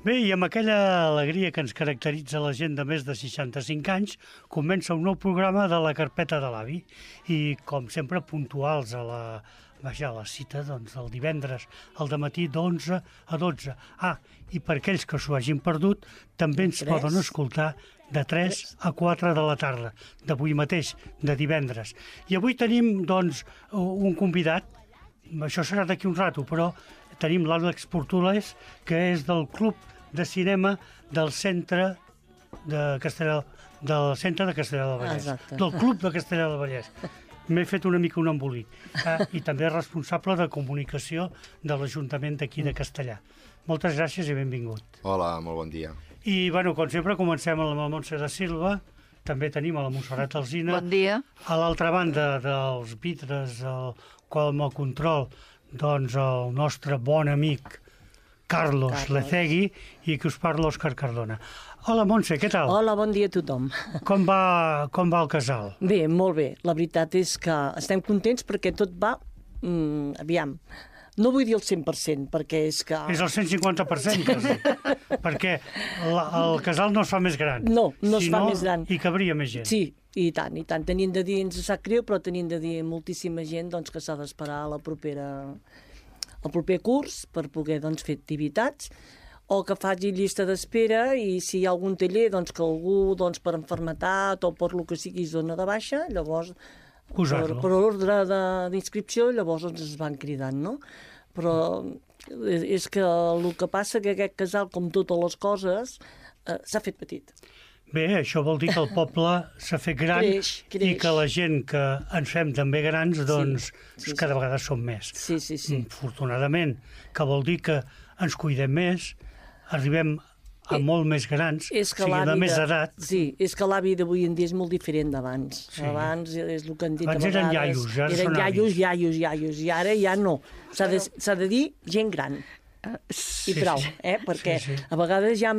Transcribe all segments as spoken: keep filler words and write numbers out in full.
Bé, i amb aquella alegria que ens caracteritza la gent de més de seixanta-cinc anys, comença un nou programa de la carpeta de l'avi. I, com sempre, puntuals a la, vaja, a la cita doncs, del divendres al dematí d'onze a dotze. Ah, i per aquells que s'ho hagin perdut, també ens poden escoltar de tres a quatre de la tarda, d'avui mateix, de divendres. I avui tenim, doncs, un convidat, això serà d'aquí un rato, però tenim l'Àlex Portolès, que és del Club de Cinema del Centre de Castellar, del Centre de Castellar del Vallès. Exacte. Del Club de Castellar del Vallès. M'he fet una mica un embolic. Ah, I també és responsable de comunicació de l'Ajuntament d'aquí de Castellar. Moltes gràcies i benvingut. Hola, molt bon dia. I, bueno, com sempre, comencem amb la Montse de Silva. També tenim a la Montserrat Alsina. Bon dia. A l'altra banda dels vidres, el, com el control, doncs el nostre bon amic Carlos, Carlos Lecegui, i que us parla Òscar Cardona. Hola, Montse, què tal? Hola, bon dia a tothom. Com va, com va el casal? Bé, molt bé. La veritat és que estem contents perquè tot va... Mm, aviam, no vull dir el cent per cent, perquè és que... És el cent cinquanta per cent, quasi. Perquè la, el casal no es fa més gran. No, no es si fa no, més gran. Hi cabria més gent. Sí, i tant, i tant. Tenim de dir, ens sap greu, però tenim de dir moltíssima gent doncs, que s'ha d'esperar a la propera... el proper curs per poder doncs, fer activitats, o que faci llista d'espera i si hi ha algun taller doncs, que algú doncs, per enfermetat o per lo que sigui es dona de baixa, llavors per, per ordre d'inscripció llavors ens es van cridant, no? Però és que el que passa que aquest casal, com totes les coses, eh, s'ha fet petit. Bé, això vol dir que el poble s'ha fet gran creix, creix. I que la gent que ens fem també grans, doncs, sí, sí, cada sí. vegada som més. Sí, sí, sí. Afortunadament, que vol dir que ens cuidem més, arribem a eh, molt més grans, o sigui, de més edat. Sí, és que l'avi d'avui en dia és molt diferent d'abans. Sí. Abans és el que han dit abans a vegades. Eren iaios, ja eren són iaios, avis. iaios, iaios, i ara ja no. S'ha de, s'ha de dir gent gran. Uh, sí, I prou, sí. eh? Perquè sí, sí. a vegades hi ha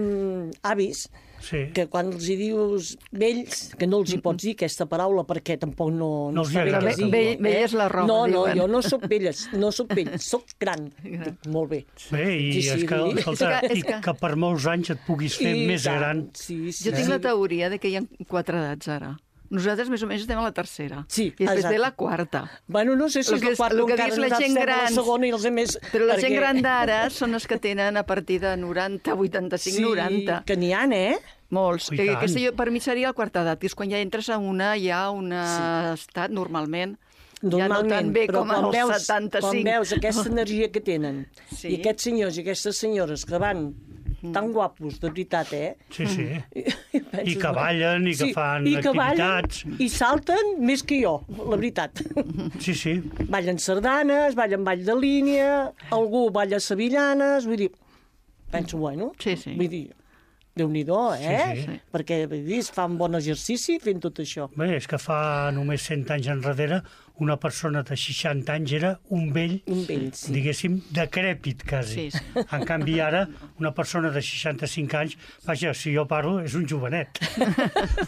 avis sí. que quan els hi dius vells, que no els hi pots dir aquesta paraula perquè tampoc no... No els hi agrada. Vell, vell és la roba, No, no, diuen. jo no sóc velles, no sóc vell, sóc gran. Dic, molt bé. Bé, i, sí, sí, és que, escolta, és que, és que... i que per molts anys et puguis fer I més tant. gran. Sí, sí, jo tinc sí. la teoria de que hi ha quatre edats ara. Nosaltres més o menys estem a la tercera. Sí, I després exacte. ve la quarta. Bueno, no sé si és la quarta o encara la gent gran, la segona i els altres... Però la perquè... gent gran d'ara són els que tenen a partir de noranta, vuitanta-cinc, sí, noranta. Que n'hi ha, eh? Molts. Oh, que, aquesta jo, per mi seria la quarta edat, que és quan ja entres a una, ja un sí. estat, normalment, Normalment, ja no tan bé però com als veus, setanta-cinc. Quan veus aquesta energia que tenen, sí. i aquests senyors i aquestes senyores que van tan guapos, de veritat, eh? Sí, sí. I, i, penses, I que ballen, i que sí, fan i que activitats. Ballen, I salten més que jo, la veritat. Sí, sí. Ballen sardanes, ballen ball de línia, algú balla sevillanes, vull dir, penso, bueno, sí, sí. vull dir, Déu-n'hi-do, eh? Sí, sí. Perquè vull dir, es fa un bon exercici fent tot això. Bé, és que fa només cent anys enrere una persona de seixanta anys era un vell, un vell sí. diguéssim, decrèpit, quasi. Sí, sí. En canvi, ara, una persona de seixanta-cinc anys, vaja, si jo parlo, és un jovenet.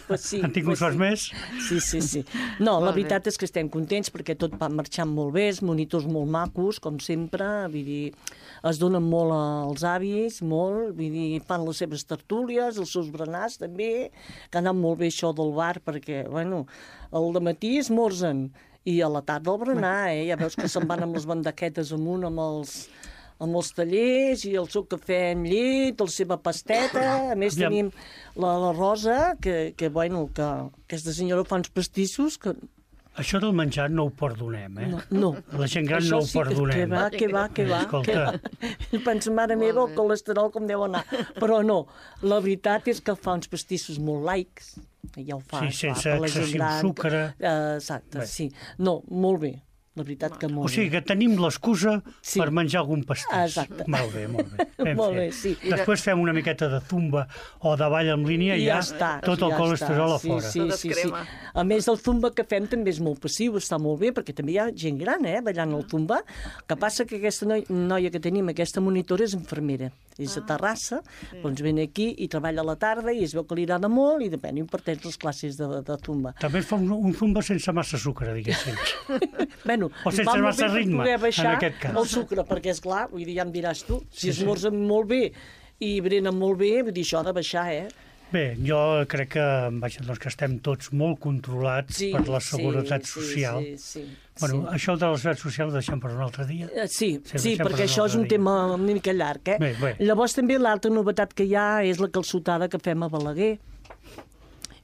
Pues sí, Han tingut pues sorts sí. més? Sí, sí, sí. No, la veritat és que estem contents perquè tot va marxant molt bé, els monitors molt macos, com sempre, vull dir, es donen molt als avis, molt, vull dir, fan les seves tertúlies, els seus berenars també, que ha anat molt bé això del bar, perquè, bueno, al dematí esmorzen, i a la tarda el berenar, eh? Ja veus que se'n van amb les bandaquetes amunt, amb els, amb els tallers, i el seu cafè amb llet, la seva pasteta, a més Ja. tenim la, la Rosa, que, que, bueno, que aquesta senyora fa uns pastissos que... Això del menjar no ho perdonem, eh? No, no. La gent gran Això no ho sí, perdonem. Que va, que va, que va. Escolta. Que va. Penso, mare meva, el colesterol com deu anar. Però no, la veritat és que fa uns pastissos molt laics. Ja ho fa, Sí, sense clar, per la gent excessiu gran. sucre. Uh, exacte, Bé. sí. No, molt bé. La veritat que molt O sigui que tenim l'excusa Sí. per menjar algun pastís. Exacte. Molt bé, molt bé. Ben Molt fet. bé, sí. Després fem una miqueta de zumba o de ball en línia i I ja, ja està, tot el ja colesterol està. a fora. Sí, sí, sí, sí. A més, el zumba que fem també és molt passiu, està molt bé, perquè també hi ha gent gran, eh, ballant el zumba. Que passa que aquesta noi, noia que tenim, aquesta monitora, és infermera. És a Terrassa, sí. doncs ven aquí i treballa a la tarda i es veu que li agrada molt i depèn, imparteix les classes de, de zumba. També fa un, un zumba sense massa sucre, diguéssim. Bueno, O sense va molt massa bé per ritme, poder baixar en aquest cas. el sucre, perquè, és clar, vull dir, ja em diràs tu, si Sí, sí. esmorzen molt bé i brenen molt bé, vull dir, això ha de baixar, eh? Bé, jo crec que, vaja, doncs que estem tots molt controlats Sí, per la seguretat sí, social. Sí, sí, sí, Bueno, sí. això de la seguretat social ho deixem per un altre dia. Eh, Sí, Sí, sí, deixem perquè per això és un un altre tema una mica llarg, eh? Bé, bé. Llavors també l'altra novetat que hi ha és la calçotada que fem a Balaguer,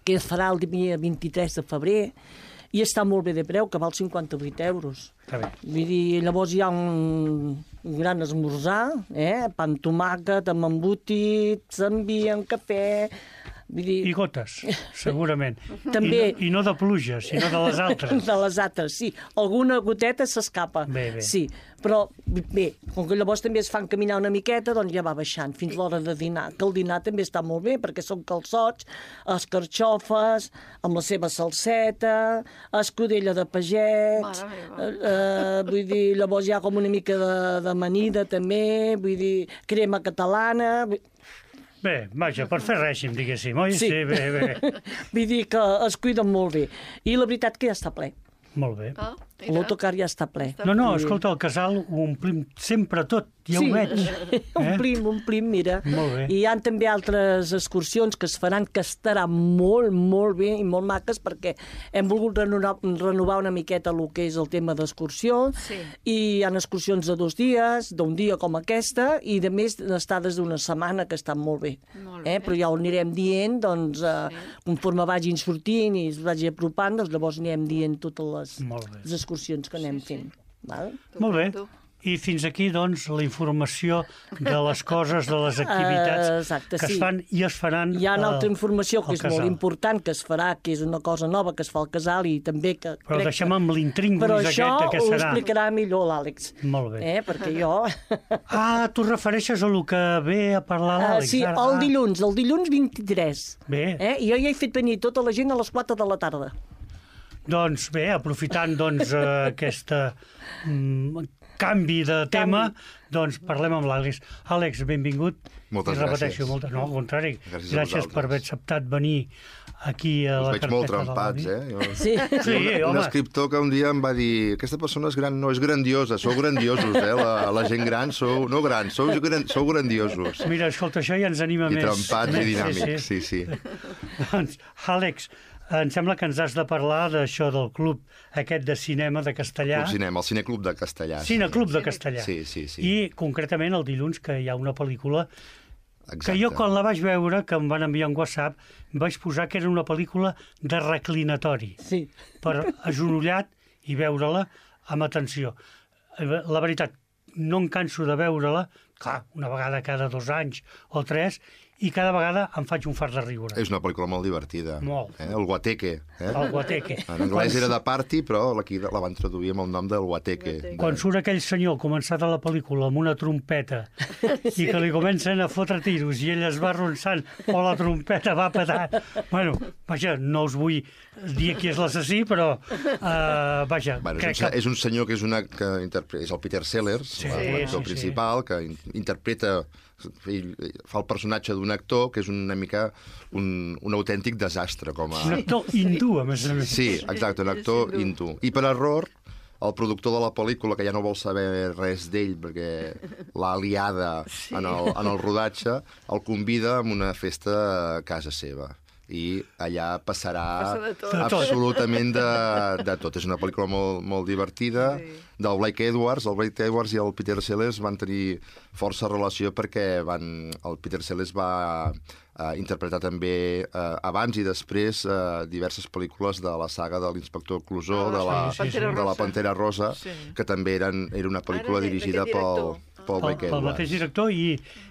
que es farà el dia vint-i-tres de febrer, i està molt bé de preu, que val cinquanta-vuit euros. Està bé. Vull dir, llavors hi ha un, un gran esmorzar, eh? Pa amb tomàquet, amb embotits, envien cafè... Vull dir, I gotes, segurament. També- I no, I no de pluja, sinó de les altres. de les altres, sí. Alguna goteta s'escapa. Bé, bé. Sí, però bé, com que llavors també es fan caminar una miqueta, doncs ja va baixant fins l'hora de dinar. Que el dinar també està molt bé, perquè són calçots, escarxofes, amb la seva salseta, escudella de pagès, Mare meva. eh, eh, vull dir, llavors hi ha com una mica de, de amanida també, vull dir, crema catalana... vull- Bé, vaja, per fer règim, diguéssim, oi? Sí. Sí, bé, bé. Vull dir que es cuiden molt bé. I la veritat que ja està ple. Molt bé. Ah, mira. L'autocar ja està ple. No, no, escolta, el casal ho omplim sempre tot, ja Sí. ho veig. Eh? Omplim, omplim, mira. Molt bé. I hi ha també altres excursions que es faran que estaran molt, molt bé i molt maques perquè hem volgut renovar, renovar una miqueta el que és el tema d'excursió Sí. i hi ha excursions de dos dies, d'un dia com aquesta i de més estades d'una setmana que estan molt bé. Molt bé. Eh? Però ja ho anirem dient, doncs, eh, Sí. conforme vagin sortint i es vagi apropant, doncs llavors anirem dient totes les, Molt bé. les excursions que anem Sí, sí. fent. Val? Molt bé. Tu. I fins aquí, doncs, la informació de les coses, de les activitats Eh, exacte, que sí. es fan i es faran Hi ha una al- altra informació que al és casal. molt important, que es farà, que és una cosa nova que es fa al casal i també que... Però crec deixem que... amb l'intríngulis Però aquest això de què ho serà. explicarà millor l'Àlex. Molt bé. Eh? Perquè jo... Ah, tu refereixes a lo que ve a parlar Ah, l'Àlex. sí, ara. el Ah, dilluns, el dilluns vint-i-tres. Bé. Eh? I jo ja he fet venir tota la gent a les quatre de la tarda. Doncs bé, aprofitant doncs, eh, aquesta mm, canvi de tema, doncs parlem amb l'Àlex. Àlex, benvingut. Moltes I repeteixo, gràcies. Moltes, no, al contrari. Gràcies a Gràcies per haver vosaltres. acceptat venir aquí a Us la veig carpeta molt de trempats, l'Avi. eh? Jo... Sí. Sí, un, un home. escriptor que un dia em va dir aquesta persona és gran, no, és grandiosa, sou grandiosos, eh? La, la gent gran sou, no grans, sou, gran, sou grandiosos. Mira, escolta, això ja ens anima I més. trempats més, i dinàmics, Sí, sí, sí. sí. Doncs, Àlex, em sembla que ens has de parlar d'això del club aquest de cinema de Castellà. Club Cinema, el Cineclub de Castellà. Cineclub de Castellà. Sí, sí, sí. I concretament el dilluns que hi ha una pel·lícula Exacte. que jo quan la vaig veure, que em van enviar un WhatsApp, vaig posar que era una pel·lícula de reclinatori, Sí. per agenollat i veure-la amb atenció. La veritat, no em canso de veure-la, clar, una vegada cada dos anys o tres, i cada vegada em faig un fart de riure. És una pel·lícula molt divertida. Molt. Eh? El Guateque. Eh? El guateque. En anglès era de party, però aquí la van traduir amb el nom del Guateque. Guateque. Quan surt aquell senyor començat a la pel·lícula amb una trompeta i que li comencen a fotre tiros i ell es va arronsant o la trompeta va petant. Bueno, vaja, no us vull dir qui és l'assassí, però uh, vaja, Bueno, és, crec un, que... és un senyor que és, una, que interpre- és el Peter Sellers, Sí, l'actor sí, sí. principal, que in- interpreta, ell fa el personatge d'un actor que és una mica un, un autèntic desastre. Com a... Un actor hindú, a més a més. Sí, exacte, un actor hindú. I per error, el productor de la pel·lícula, que ja no vol saber res d'ell perquè l'ha liada sí. en, el, en el rodatge, el convida a una festa a casa seva. I allà passarà Passa de tot. De tot. absolutament de, de tot. És una pel·lícula molt, molt divertida, Sí. del Blake Edwards. El Blake Edwards i el Peter Sellers van tenir força relació perquè van, el Peter Sellers va eh, interpretar també eh, abans i després eh, diverses pel·lícules de la saga de l'Inspector Clusó, Ah, de, la, sí, sí, sí. de la Pantera Rosa, Sí. que també eren, era una pel·lícula Ara, de- dirigida d'aquest pel, director. pel Pel, Blake pel Edwards. mateix director i,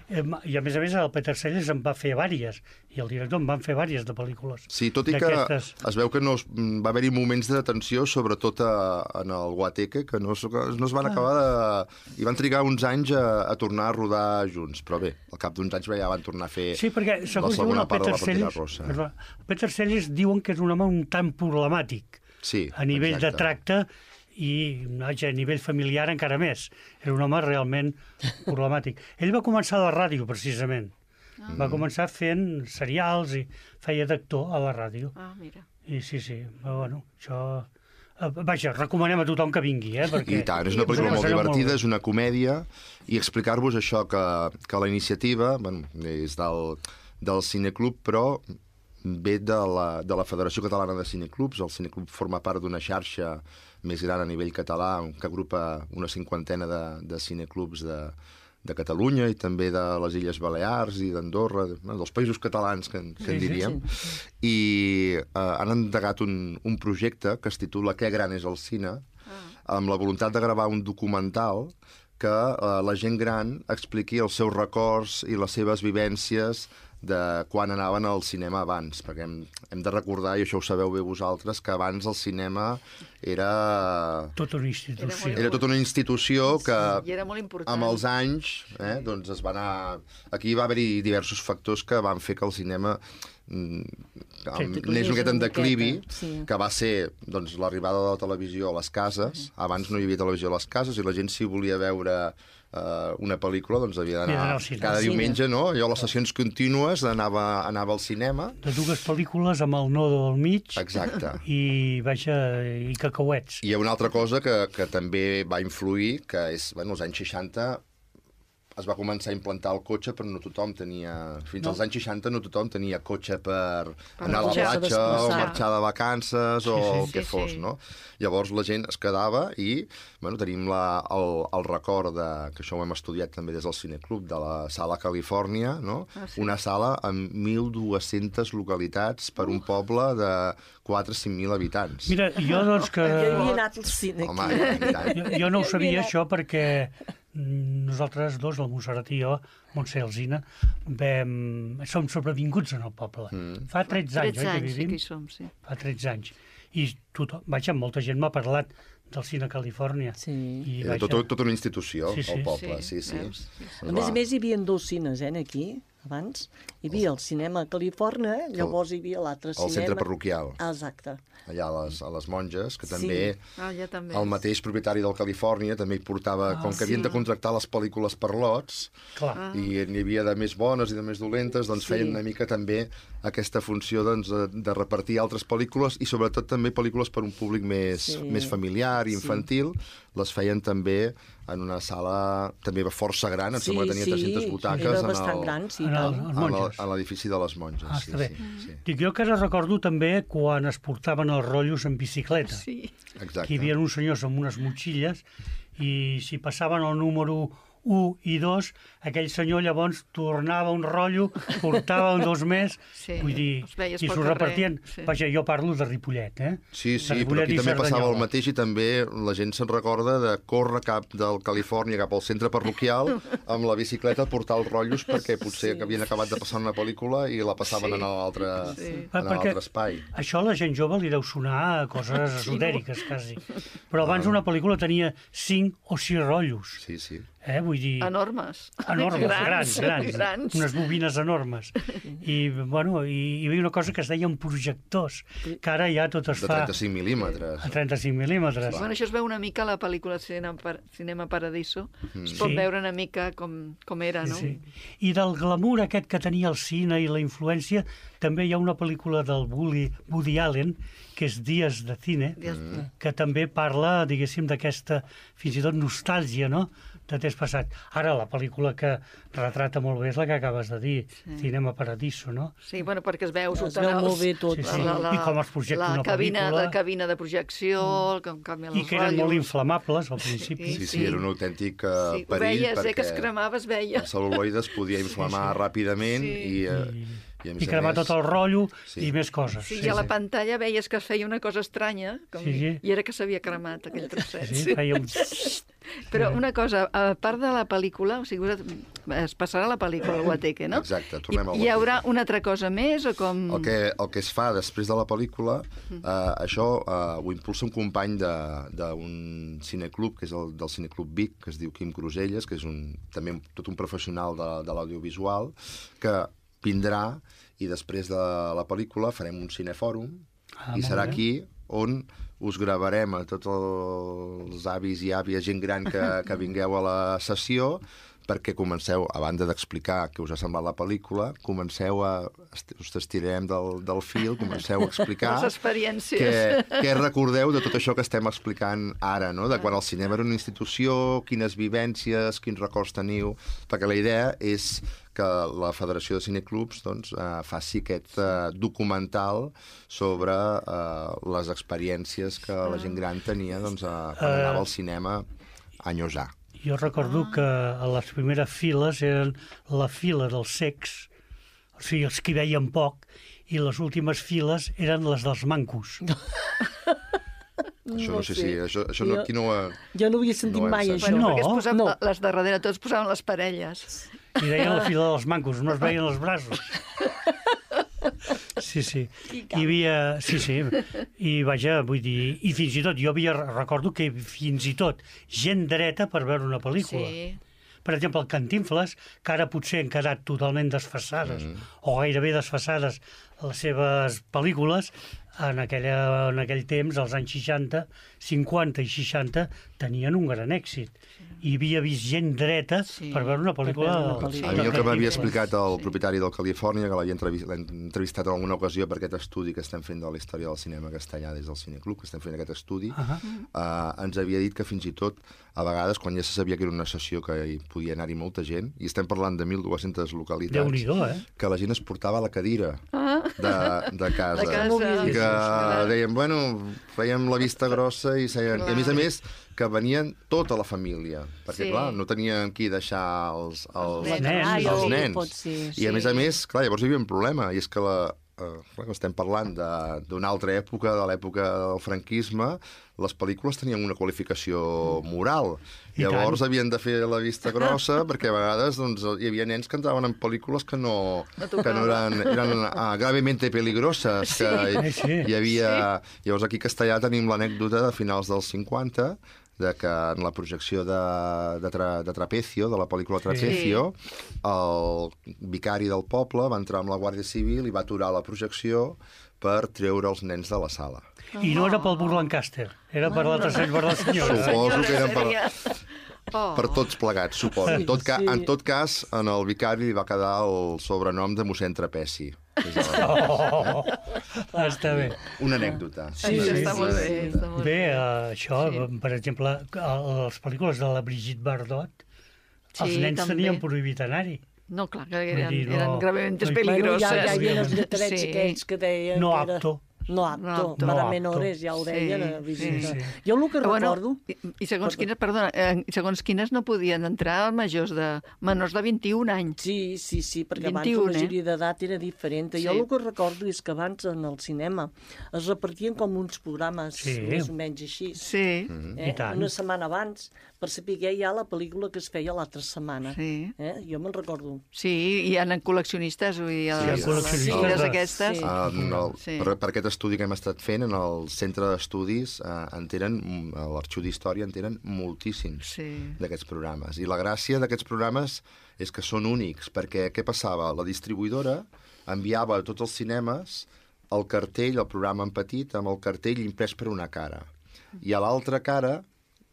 eh, i a més a més el Peter Sellers en va fer vàries i el director en van fer vàries de pel·lícules. Sí, tot i que d'aquestes. es veu que no es, va haver-hi moments de tensió, sobretot a, en el Guateque, que no, es- que no es van acabar de... I van trigar uns anys a, a tornar a rodar junts, però bé, al cap d'uns anys ja van tornar a fer Sí, perquè segons la diuen segona el part de Peter la Pantera Sellers, Rosa. perdó, el Peter Sellers diuen que és un home un tant problemàtic Sí, a nivell exacte. de tracte i vaja, a nivell familiar encara més. Era un home realment problemàtic. Ell va començar a la ràdio, precisament. Ah. Va començar fent serials i feia d'actor a la ràdio. Ah, mira. I sí, sí, però, bueno, això Uh, vaja, recomanem a tothom que vingui, eh? Perquè I tant, és una pel·lícula molt divertida, molt és una comèdia, i explicar-vos això, que, que la iniciativa, bueno, és del, del Cineclub, però ve de la, de la Federació Catalana de Cineclubs. El Cineclub forma part d'una xarxa més gran a nivell català, que agrupa una cinquantena de, de cineclubs de, de Catalunya i també de les Illes Balears i d'Andorra, dels països catalans, que, que en diríem. Sí, sí. I eh, han endegat un, un projecte que es titula Què gran és el cine, ah. amb la voluntat de gravar un documental que eh, la gent gran expliqui els seus records i les seves vivències de quan anaven al cinema abans, perquè hem, hem de recordar, i això ho sabeu bé vosaltres, que abans el cinema era... Tota una institució. Era tota una institució que, sí, era molt important. Amb els anys, eh, doncs es va anar... Aquí va haver-hi diversos factors que van fer que el cinema anés una miqueta en declivi, sí. que va ser doncs, l'arribada de la televisió a les cases. Uh-huh. Abans no hi havia televisió a les cases i la gent, si volia veure Uh, una pel·lícula, doncs havia d'anar cada diumenge, no? Allò, les sessions contínues, anava, anava al cinema. De dues pel·lícules amb el nodo al mig. Exacte. I, vaja, i cacauets. I hi ha una altra cosa que, que també va influir, que és, bueno, als anys seixanta es va començar a implantar el cotxe, però no tothom tenia... Fins no. als anys seixanta no tothom tenia cotxe per, per anar a la platja o marxar de vacances o sí, sí, el que sí, fos, sí. no? Llavors la gent es quedava i, bueno, tenim la, el, el record de, que això ho hem estudiat també des del Cineclub, de la Sala Califòrnia, no? Ah, sí. Una sala amb mil dues-centes localitats per un poble de quatre a cinc mil habitants. Mira, jo doncs que... Jo havia anat al cine Home, aquí. Jo, jo no ho sabia, això, perquè nosaltres dos, la Montserrat i jo, Montse i Alzina, vam... som sobrevinguts en el poble. Mm. Fa tretze anys, tretze oi, anys, que vivim? Sí que hi som, sí. Fa tretze anys. I tothom, vaja, molta gent m'ha parlat del Cine Califòrnia. Sí. I, Era vaja... tota, tota una institució, sí, sí. el poble, sí, sí. sí, sí. sí. A més a més, hi havia dos cines, eh, aquí, abans. Hi havia el cinema a Califòrnia, eh? Llavors hi havia l'altre cinema... El centre parroquial. Ah, exacte. Allà a les, a les monges, que també, sí. ah, ja també el mateix propietari del Califòrnia també hi portava, ah, com que havien sí. de contractar les pel·lícules per lots, Clar. i n'hi havia de més bones i de més dolentes, doncs sí. feien una mica també aquesta funció doncs, de, de repartir altres pel·lícules i sobretot també pel·lícules per un públic més, sí. més familiar i infantil, sí. les feien també en una sala també força gran, em sí, sembla que tenia sí. tres-centes butaques era en, bastant el, gran, sí, en, el, en, en l'edifici de les monges. Ah, sí, està bé. Sí, sí. Dic, jo que ara recordo també quan es portaven els rotllos en bicicleta. Sí. Exacte. Que hi havia uns senyors amb unes motxilles i si passaven el número u i dos, aquell senyor llavors tornava un rotllo, portava un dos més, sí, vull dir, i s'ho repartien. Sí. Vaja, jo parlo de Ripollet, eh? Sí, sí, Ripollet però aquí també Cerdanyola. passava el mateix i també la gent se'n recorda de córrer cap del Califòrnia cap al centre parroquial amb la bicicleta a portar els rotllos perquè potser sí. havien acabat de passar una pel·lícula i la passaven sí. en l'altre sí. espai. Això a la gent jove li deu sonar a coses esotèriques, quasi. Però abans una pel·lícula tenia cinc o sis rotllos. Sí, sí. Eh, vull dir... Enormes. Enormes, grans, grans, grans. Unes bobines enormes. I, bueno, i hi havia una cosa que es deien projectors, que ara ja tot es fa... De trenta-cinc mil·límetres. A trenta-cinc mil·límetres. Bueno, això es veu una mica a la pel·lícula Cinema, Cinema Paradiso. Mm. Es pot sí. veure una mica com, com era, no? Sí, sí. I del glamour aquest que tenia el cine i la influència, també hi ha una pel·lícula del Woody, Woody Allen, que és Dies de Cine, mm. que també parla, diguéssim, d'aquesta, fins i tot, nostàlgia, no?, de temps passat. Ara, la pel·lícula que retrata molt bé és la que acabes de dir, sí. Cinema Paradiso, no? Sí, bueno, perquè es veu... Es veu molt bé tot. Sí, sí. La, la, I com es projecta la una cabina, pel·lícula. La cabina de projecció, mm. com canvien els I que eren rotllos. molt inflamables, al principi. Sí, sí, sí, era un autèntic uh, sí, perill, veies, perquè eh, que es cremava, es veia. el cel·luloide es podia inflamar sí, sí. ràpidament sí. i... Uh, I, I cremar tot el rotllo sí. i més coses. Sí, sí, i a la sí. pantalla veies que es feia una cosa estranya, com sí, sí. i era que s'havia cremat aquell trosset. Sí, sí, feia un... Però una cosa, a part de la pel·lícula, o sigui, es passarà la pel·lícula al Guateque, no? Exacte, tornem al Guateque. Hi haurà una altra cosa més o com...? El que, el que es fa després de la pel·lícula, eh, això eh, ho impulsa un company d'un cineclub, que és el del Cineclub Vic, que es diu Quim Cruselles, que és un, també tot un professional de, de l'audiovisual, que vindrà i després de la pel·lícula farem un cinefòrum ah, i serà aquí on us gravarem a tots els avis i àvies, gent gran que, que vingueu a la sessió perquè comenceu, a banda d'explicar què us ha semblat la pel·lícula, comenceu a... us estirem del, del fil, comenceu a explicar... Les experiències. Què, què recordeu de tot això que estem explicant ara, no? De quan el cinema era una institució, quines vivències, quins records teniu... Perquè la idea és que la Federació de Cineclubs doncs, eh, faci aquest eh, documental sobre eh, les experiències que la gent gran tenia doncs, eh, quan anava al cinema anys A. Jo recordo ah. que a les primeres files eren la fila dels cecs, o sigui, els que veien poc, i les últimes files eren les dels mancos. No. Això no sé si... Això, això no, jo, aquí no ho... Jo no havia sentit no mai sentit. això. No. Perquè es posaven, No. les de darrere tots posaven les parelles. I deien la fila dels mancos, no es veien els braços. Sí, sí. Hi havia... Sí, sí. I vaja, vull dir... I fins i tot, jo havia... Recordo que fins i tot gent dreta per veure una pel·lícula. Sí. Per exemple, el Cantinflas, que ara potser han quedat totalment desfasades, mm. o gairebé desfasades les seves pel·lícules, en, aquella, en aquell temps, als anys seixanta, cinquanta i seixanta, tenien un gran èxit. I havia vist gent dreta sí. per veure una pel·lícula... Per veure una pel·lícula. A mi el que m'havia explicat el propietari del Califòrnia, que l'havia entrevistat en alguna ocasió per aquest estudi que estem fent de la història del cinema castellà des del Cineclub, que estem fent aquest estudi, uh -huh. uh, ens havia dit que fins i tot, a vegades, quan ja se sabia que era una sessió que hi podia anar-hi molta gent, i estem parlant de mil dues-centes localitats, Déu-n'hi-do, eh? que la gent es portava la cadira ah. de, de casa. De casa. I que deien, bueno, fèiem la vista grossa i seien... I a més a més, que venien tota la família, perquè, sí. clar, no tenien qui deixar els, els, els nens. Ah, els sí, nens. pot ser, I a sí. més a més, clar, llavors hi havia un problema, i és que la, eh, clar, estem parlant d'una altra època, de l'època del franquisme, les pel·lícules tenien una qualificació moral. I Llavors tant. havien de fer la vista grossa perquè a vegades doncs, hi havia nens que entraven en pel·lícules que no, no que no eren, eren ah, gravemente peligroses. Sí. Que Sí, sí. hi havia... Sí. Llavors aquí a Castellà tenim l'anècdota de finals dels cinquanta, de que en la projecció de, de, tra, de Trapecio, de la pel·lícula Trapecio, sí. el vicari del poble va entrar amb la Guàrdia Civil i va aturar la projecció per treure els nens de la sala. I no era pel Burlancaster, era per l'altre senyor, per la senyora. Suposo que eren per, Oh. per tots plegats, suposo. En tot, ca, Sí. en tot cas, en el vicari li va quedar el sobrenom de mossèn Trapeci. Oh, està bé. Una anècdota. Sí, Una sí, anècdota. està molt bé. Està molt Bé, bé. uh, això, Sí. per exemple, a les pel·lícules de la Brigitte Bardot, els Sí, nens també. tenien prohibit anar-hi. No, clar, que eren, Vull dir, no- eren gravemente no hi- peligroses. Bueno, ja, ja hi havia els Sí. lletrets Sí. aquells que deien... No que era... apto. No apto, No apto. para No menores, apto. ja ho Sí, deien a sí, visita. sí. Jo el que Però bueno, recordo... i, I segons quines, perdona, eh, segons quines no podien entrar majors de menors de vint-i-un anys. Sí, sí, sí, perquè vint-i-un, abans la majoria d'edat era diferent. Sí. Jo el que recordo és que abans en el cinema es repartien com uns programes Sí. més o menys així. Sí, Eh? I tant. Una setmana abans, per saber ja la pel·lícula que es feia l'altra setmana. sí. Eh? Jo me'n recordo. Sí, hi ha col·leccionistes, vull dir, Sí, les, hi ha les col·leccionistes fires de- aquestes. Sí. En el, Sí. per, per aquest estudi que hem estat fent, en el centre d'estudis, eh, en tenen, a l'Arxiu d'Història en tenen moltíssims Sí. d'aquests programes. I la gràcia d'aquests programes és que són únics, perquè què passava? La distribuïdora enviava a tots els cinemes el cartell, el programa en petit, amb el cartell imprès per una cara. I a l'altra cara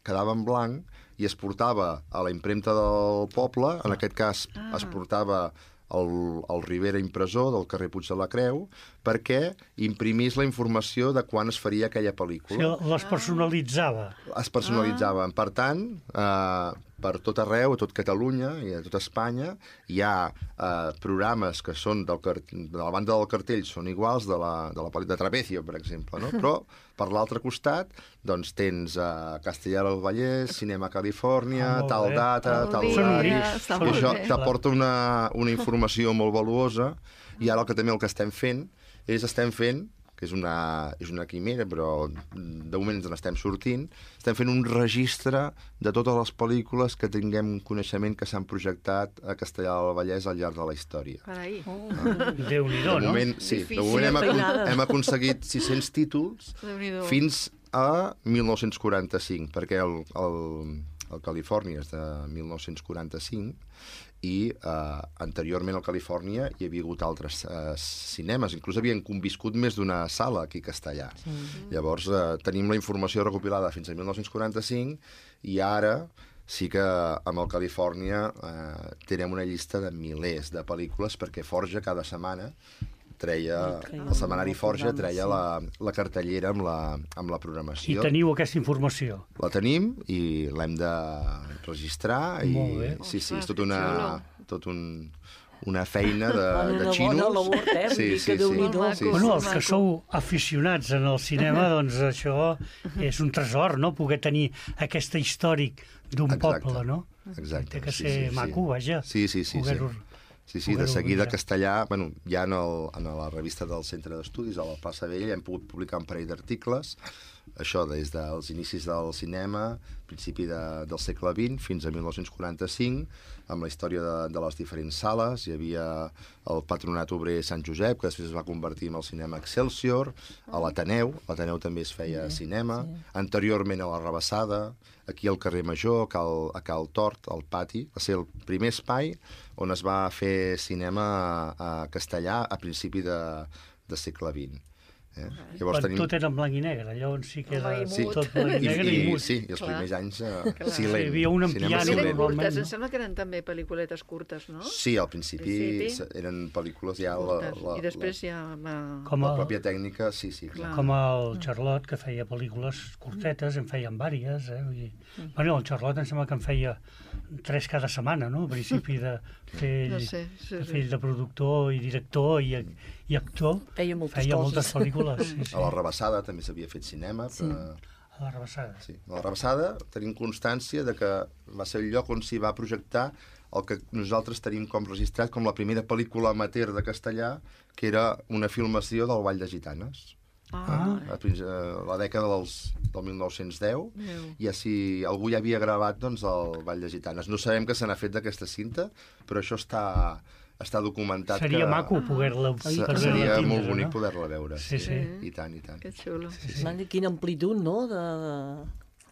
quedava en blanc i es portava a la impremta del poble, en aquest cas Ah. es portava el, el Rivera Impressor del carrer Puig de la Creu, perquè imprimís la informació de quan es faria aquella Sí, pel·lícula. les personalitzava. Es personalitzaven. Per tant, eh, per tot arreu, a tot Catalunya i a tot Espanya, hi ha eh, programes que són del car- de la banda del cartell, són iguals de la, de la pel·lícula de Trapecio, per exemple, no? Però per l'altre costat doncs tens eh, Castellar del Vallès, Cinema Califòrnia, Ah, molt tal bé. data, Molt tal bé. Són horari... únics, Està I molt això bé. t'aporta una, una informació molt valuosa, i ara el que també el que estem fent és estem fent, que és una, és una quimera, però de moment ens n'estem sortint, estem fent un registre de totes les pel·lícules que tinguem coneixement que s'han projectat a Castellar del Vallès al llarg de la història. Carai. Oh. Déu-n'hi-do, De no? moment, sí, de Difícil, moment hem, acon feinada. hem aconseguit sis-cents títols Déu-n'hi-do. fins a mil nou-cents quaranta-cinc, perquè el, el, el Califòrnia és de mil nou-cents quaranta-cinc i eh, anteriorment al Califòrnia hi havia hagut altres eh, cinemes, inclús havien conviscut més d'una sala aquí a Castellà. Sí. Llavors eh, tenim la informació recopilada fins a mil nou-cents quaranta-cinc i ara sí que amb el Califòrnia eh, tenim una llista de milers de pel·lícules perquè Forja cada setmana treia, el setmanari Forja treia la, la cartellera amb la, amb la programació. I teniu aquesta informació? La tenim i l'hem de registrar. Molt bé. I, sí, sí, és tot una, tot un, una feina de, de xinos. Una bona labor, eh? Sí, sí, sí. Déu-n'hi-do. Sí, sí. Bueno, els que sou aficionats en el cinema, doncs això és un tresor, no? Poder tenir aquesta històric d'un poble, no? Exacte. Té que sí, ser sí, maco, sí. vaja. Sí, sí, sí. Poder-ho... sí. Sí, sí, de seguida castellà, bueno, ja en, el, en la revista del Centre d'Estudis, a la Plaça Vella, hem pogut publicar un parell d'articles, això des dels inicis del cinema, principi de, del segle vint fins a mil nou-cents quaranta-cinc, amb la història de, de les diferents sales. Hi havia el Patronat Obrer Sant Josep, que després es va convertir en el cinema Excelsior, a l'Ateneu, l'Ateneu també es feia sí, cinema, sí. Anteriorment a la Rabassada, aquí al carrer Major, a Cal, a Cal Tort, al pati, va ser el primer espai on es va fer cinema a castellà a principi de, de segle vint. Eh? Llavors, tenim... Tot era en blanc i negre, llavors sí que era sí. tot blanc i negre i, i, i mut. Sí, i els Clar. primers anys uh, silent. Sí, hi havia un en piano normalment. Curtes, no? Em sembla que eren també pel·lículetes curtes, no? Sí, al principi, principi eren pel·lícules ja... La, la, I després ja... Va... Com el... La pròpia tècnica, sí, sí. Clar. Com el Charlot, que feia pel·lícules curtetes, en feien vàries, eh? I... Mm. Bueno, el Charlot em sembla que en feia tres cada setmana, no? Al principi de fer, no sé, sí, sí. de fer de productor i director i, i actor. Feia moltes feia coses. moltes pel·lícules. Sí, sí. A la Rabassada també s'havia fet cinema. Sí. Però... A la Rabassada. Sí. A la Rabassada tenim constància de que va ser el lloc on s'hi va projectar el que nosaltres tenim com registrat com la primera pel·lícula amateur de castellà, que era una filmació del Ball de Gitanes. Ah. A, a la dècada dels, del mil nou-cents deu, Meu. I si algú ja havia gravat doncs, el Ball de Gitanes. No sabem què se n'ha fet d'aquesta cinta, però això està, està documentat. Seria que... maco poder-la Se, Seria tindre, molt bonic no? poder-la veure. Sí, sí. I tant, i tant. Que xulo. Sí, sí. Man, quina amplitud, no?, de...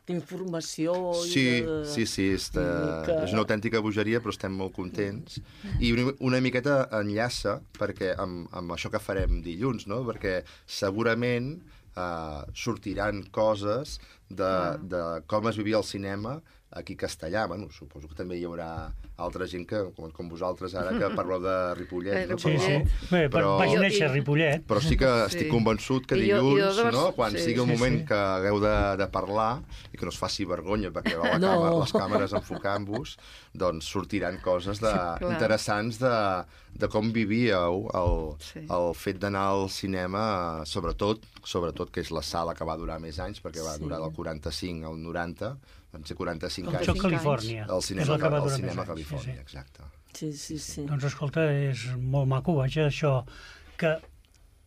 d'informació... Sí, i de... sí, sí, és, de... que... és una autèntica bogeria, però estem molt contents. I una, una miqueta enllaça perquè amb, amb això que farem dilluns, no? Perquè segurament eh, sortiran coses de, ah. de com es vivia el cinema aquí castellà. Bueno, suposo que també hi haurà altra gent que, com, com vosaltres ara, que parleu de Ripollet. No? Sí, sí. Bé, però, vaig néixer a Ripollet. Però sí que estic sí. convençut que dilluns, jo, jo no? quan sí, sigui el sí, moment sí. que hagueu de, de parlar i que no es faci vergonya perquè va la no. càmera, les càmeres enfocant-vos, doncs sortiran coses de, sí, interessants de, de com vivíeu el, sí. el fet d'anar al cinema, sobretot, sobretot que és la sala que va durar més anys, perquè va sí. durar del quaranta-cinc al noranta, van ser quaranta-cinc anys. El Califòrnia. El cinema, el, el cinema Califòrnia, sí, sí. exacte. Sí, sí, sí. Doncs escolta, és molt maco, vaja, això que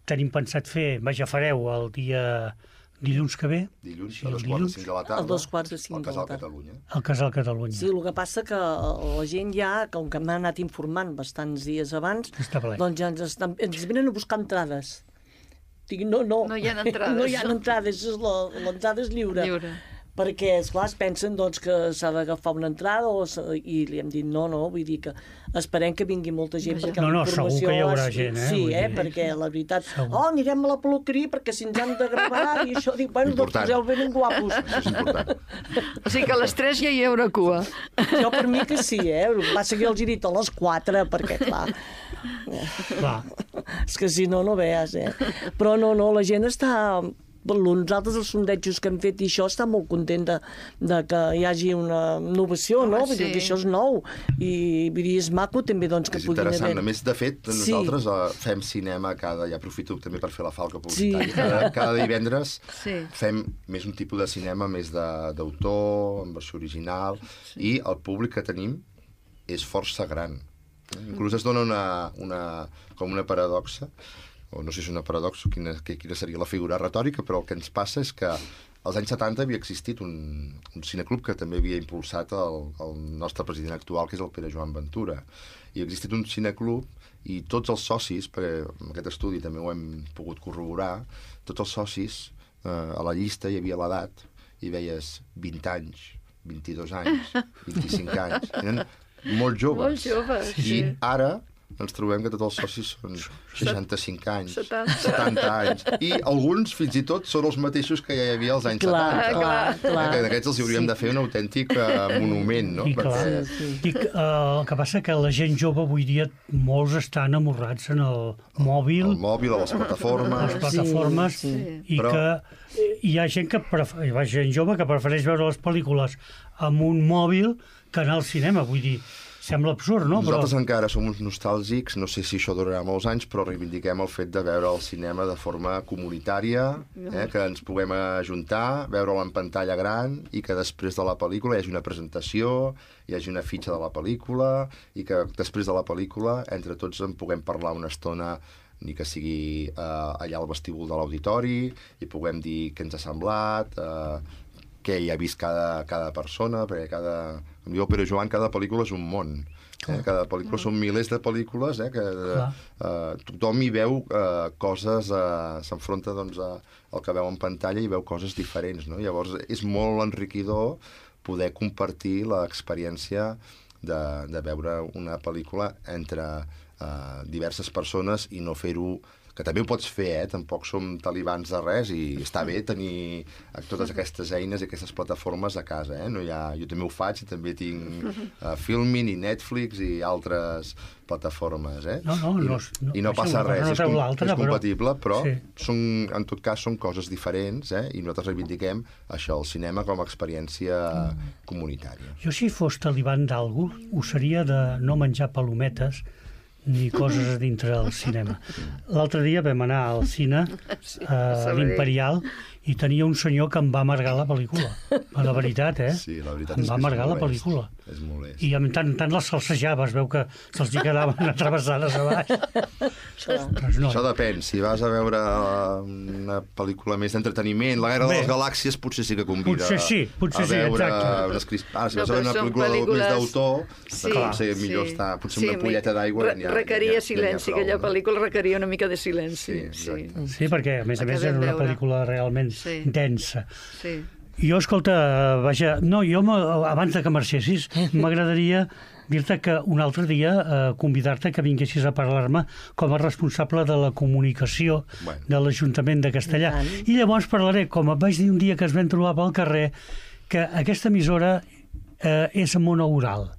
tenim pensat fer, vaja, fareu el dia dilluns que ve. Dilluns, sí, a dos quarts de cinc de la tarda. A dos quarts de cinc de la tarda. Al Casal Catalunya. Al Casal Catalunya. Sí, el que passa que la gent ja, com que m'ha anat informant bastants dies abans, doncs ja ens, estan, ens venen a buscar entrades. Dic, no, no. No hi ha entrades. No hi ha entrades, l'entrada és lliure. Lliure. Perquè, esclar, es pensen doncs, que s'ha d'agafar una entrada o i li hem dit no, no, vull dir que esperem que vingui molta gent perquè no, no, la informació... segur que hi haurà gent, eh? Sí, eh, perquè la veritat... Segur. Oh, anirem a la peluqueria perquè si ens han de gravar i això... Dic, bueno, doncs poseu ben guapos. Això és important. O sigui que a les tres ja hi haurà cua. Jo per mi que sí, eh? Va seguir els he dit a les quatre, perquè, clar... clar. És que si no, no veus, eh? Però no, no, la gent està... Nosaltres els sondejos que hem fet i això està molt content de, de que hi hagi una innovació, no? Vull dir que això és nou i vull dir, és maco també doncs, que és puguin haver... És interessant. A més, de fet, nosaltres sí. uh, fem cinema cada... Ja aprofito també per fer la falca publicitària. Sí. Cada, cada divendres sí. fem més un tipus de cinema més d'autor, en versió original, sí. i el públic que tenim és força gran. Inclús es dona una, una, com una paradoxa, o no sé si és una paradoxa, quina, quina seria la figura retòrica, però el que ens passa és que als anys setanta havia existit un, un cineclub que també havia impulsat el, el nostre president actual, que és el Pere Joan Ventura. I ha existit un cineclub i tots els socis, perquè en aquest estudi també ho hem pogut corroborar, tots els socis, eh, a la llista hi havia l'edat, i veies vint anys, vint-i-dos anys, vint-i-cinc anys. Eren molt joves. Molt joves, sí. I ara ens trobem que tots els socis són seixanta-cinc anys, setanta. setanta anys, i alguns fins i tot són els mateixos que ja hi havia als anys Clar, setanta. clar, clar. Que d'aquests els hauríem Sí. de fer un autèntic uh, monument, no? I clar, Perquè- Sí, sí. I, uh, el que passa que la gent jove avui dia molts estan amorrats en el mòbil, El mòbil, a les les plataformes... plataformes, Sí, sí. i Però- que hi ha gent que pref... hi ha gent jove que prefereix veure les pel·lícules amb un mòbil que anar al cinema, vull dir, sembla absurd, no? Nosaltres Però encara som uns nostàlgics, no sé si això durarà molts anys, però reivindiquem el fet de veure el cinema de forma comunitària, eh, que ens puguem ajuntar, veure-lo en pantalla gran i que després de la pel·lícula hi hagi una presentació, hi hagi una fitxa de la pel·lícula i que després de la pel·lícula entre tots en puguem parlar una estona, ni que sigui eh, allà al vestíbul de l'auditori, i puguem dir què ens ha semblat, eh, què hi ha vist cada, cada persona, perquè cada... Com diu el Pere Joan, cada pel·lícula és un món. Eh? Cada pel·lícula són milers de pel·lícules, eh? que eh, tothom hi veu eh, coses, eh, s'enfronta doncs, a, al que veu en pantalla i veu coses diferents. No? Llavors és molt enriquidor poder compartir l'experiència de, de veure una pel·lícula entre eh, diverses persones i no fer-ho, que també ho pots fer, eh? Tampoc som talibans de res i està bé tenir totes aquestes eines i aquestes plataformes a casa, eh? No hi ha... Jo també ho faig i també tinc uh, Filmin i Netflix i altres plataformes, eh? No, no, I, no, no, i no això passa una res, cosa no és, treu com, l'altra, és però- compatible, però, Sí. són, en tot cas són coses diferents, eh? I nosaltres reivindiquem això, el cinema com a experiència comunitària. jo si fos talibán d'algú, ho seria de no menjar palometes ni coses a dintre del cinema. L'altre dia vam anar al cine, a l'Imperial, i tenia un senyor que em va amargar la pel·lícula. A la veritat, eh? Sí, la veritat em és va que és amargar la molest. pel·lícula. És molest. I en tant, tant les salsejava, es veu que se'ls hi quedaven atravessades a baix. Ostres, no. Això depèn. Si vas a veure una pel·lícula més d'entreteniment, La guerra Bé. de les galàxies, potser sí que convida Potser sí, potser a sí, veure exacte. unes crisp... Ah, si No, vas a veure però una són pel·lícula pel·lícules- més d'autor, Sí, doncs potser sí. millor està... Potser Sí, una ampolleta d'aigua... re- ja n'hi ha- requeria ja n'hi ha- ja n'hi ha silenci, prou, aquella no? pel·lícula requeria una mica de silenci. Sí, Sí, exacte. Sí, perquè, a més a més, Acabem era una veure. pel·lícula realment Sí. densa. sí. Jo, escolta, vaja, no, jo m- abans de que marxessis, m'agradaria dir-te que un altre dia eh, convidar-te que vinguessis a parlar-me com a responsable de la comunicació Bueno. de l'Ajuntament de Castellà. I tant. I llavors parlaré, com et vaig dir un dia que es vam trobar pel carrer, que aquesta emissora eh, és monoural,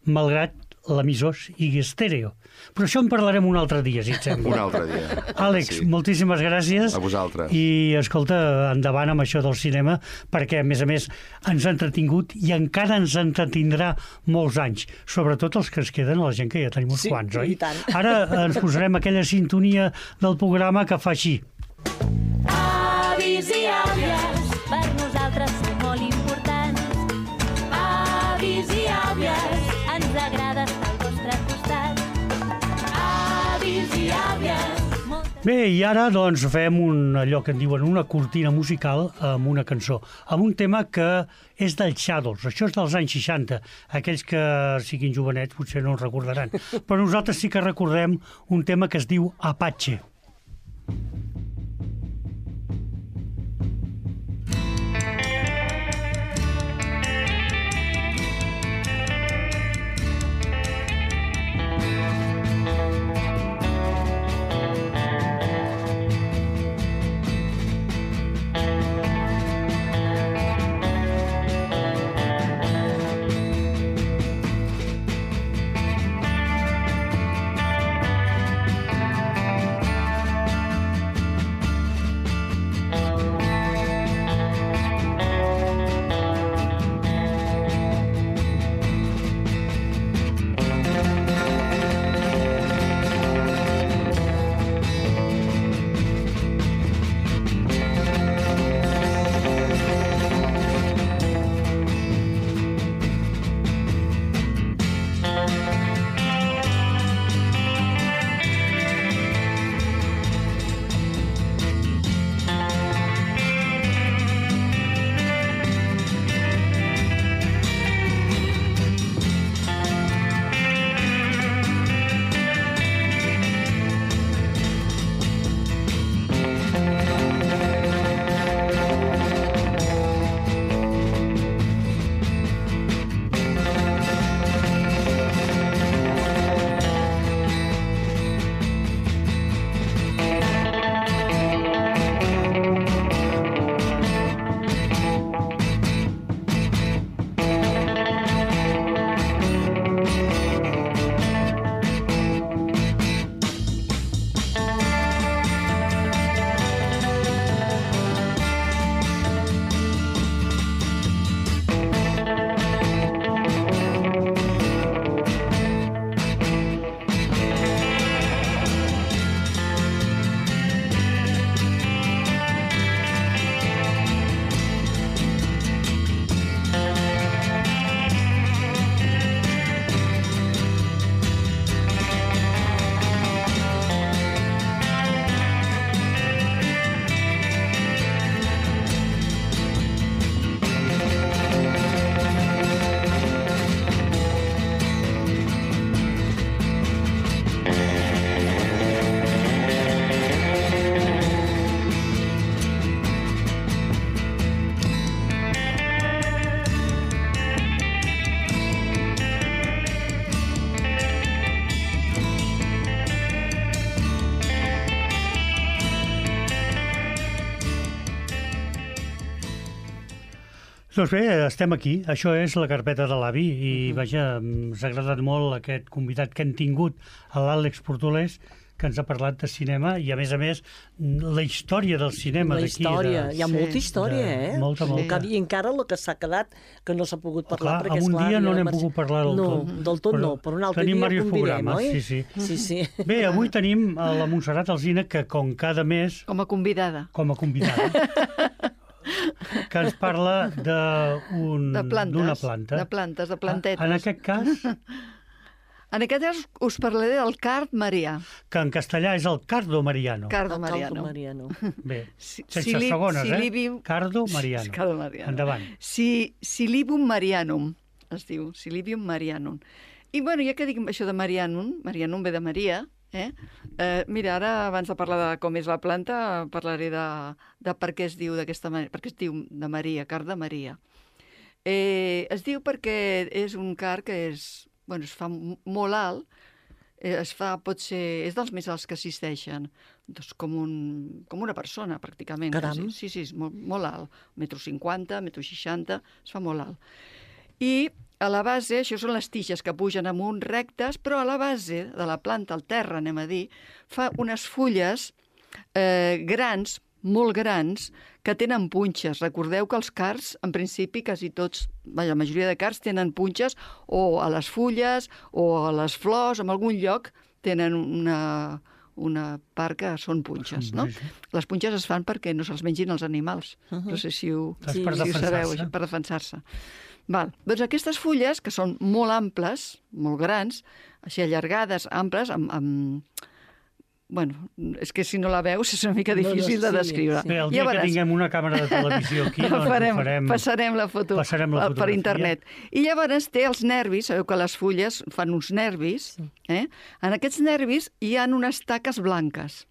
malgrat l'emissor sigui estèreo. Però això en parlarem un altre dia, si et sembla. Un altre dia. Àlex, Sí. moltíssimes gràcies. A vosaltres. I, escolta, endavant amb això del cinema, perquè, a més a més, ens ha entretingut i encara ens entretindrà molts anys, sobretot els que es queden, la gent que ja tenim uns Sí, quants, oi? i tant. Ara ens posarem aquella sintonia del programa que fa així. Avis i àvies, per nosaltres sou molt importants. Avis i àvies, ens agrada estar al vostre costat. Avis i àvies, moltes... Bé, i ara doncs fem un, allò que en diuen una cortina musical amb una cançó, amb un tema que és dels Shadows, això és dels anys seixanta, aquells que siguin jovenets potser no en recordaran, però nosaltres sí que recordem un tema que es diu Apache. Doncs bé, estem aquí. Això és la carpeta de l'avi i, uh-huh. vaja, ens ha agradat molt aquest convidat que hem tingut, a l'Àlex Portolés, que ens ha parlat de cinema i, a més a més, la història del cinema d'aquí. La història, de... hi ha Sí. molta història, De- eh? molta, molta. I encara el que s'ha quedat, que no s'ha pogut parlar, Clar, perquè, en un esclar, dia no havia n'hem de pogut parlar del no, tot. del tot no, però un altre tenim dia diversos convidem, programes, oi? sí, sí. Sí, sí. Bé, avui tenim a la Montserrat Alsina, que com cada mes, Com a convidada. com a convidada, que ens parla d'un- De plantes. d'una planta. De plantes, de plantetes. En aquest cas, En aquest cas us parlaré del card marià. que en castellà és el Cardo Mariano. Cardo El Caldo mariano. Mariano. Bé, Si- sense Sili- segones, eh? Silibium- Cardo Mariano. Cardo mariano. Endavant. Si, Silibium marianum, es diu, Silibium marianum. I, bueno, ja que dic això de marianum, marianum ve de Maria, eh? Eh, mira, ara, abans de parlar de com és la planta, parlaré de, de per què es diu d'aquesta manera, per què es diu de Maria, car de Maria. Eh, es diu perquè és un car que és, bueno, es fa m- molt alt, eh, es fa, pot ser, és dels més alts que existeixen, doncs com, un, com una persona, pràcticament. Caram. quasi. Sí, sí, és molt, molt alt. Metro cinquanta, metro seixanta, es fa molt alt. I a la base, això són les tiges que pugen amunt rectes, però a la base de la planta, al terra, anem a dir, fa unes fulles eh, grans, molt grans, que tenen punxes. Recordeu que els cards, en principi, quasi tots, vaja, la majoria de cards tenen punxes o a les fulles o a les flors, en algun lloc tenen una, una part que són punxes, no? Les punxes es fan perquè no se'ls mengin els animals. Uh-huh. No sé si ho, És si per ho sabeu, defensar-se. això, per defensar-se. Val. Doncs aquestes fulles, que són molt amples, molt grans, així allargades, amples, amb, amb... Bueno, és que si no la veus és una mica No, no, difícil de sí, descriure. sí. Bé, el dia que tinguem una càmera de televisió aquí, doncs farem, ho farem... passarem la foto passarem la per fotografia. internet. I llavors té els nervis, sabeu que les fulles fan uns nervis, eh? En aquests nervis hi ha unes taques blanques.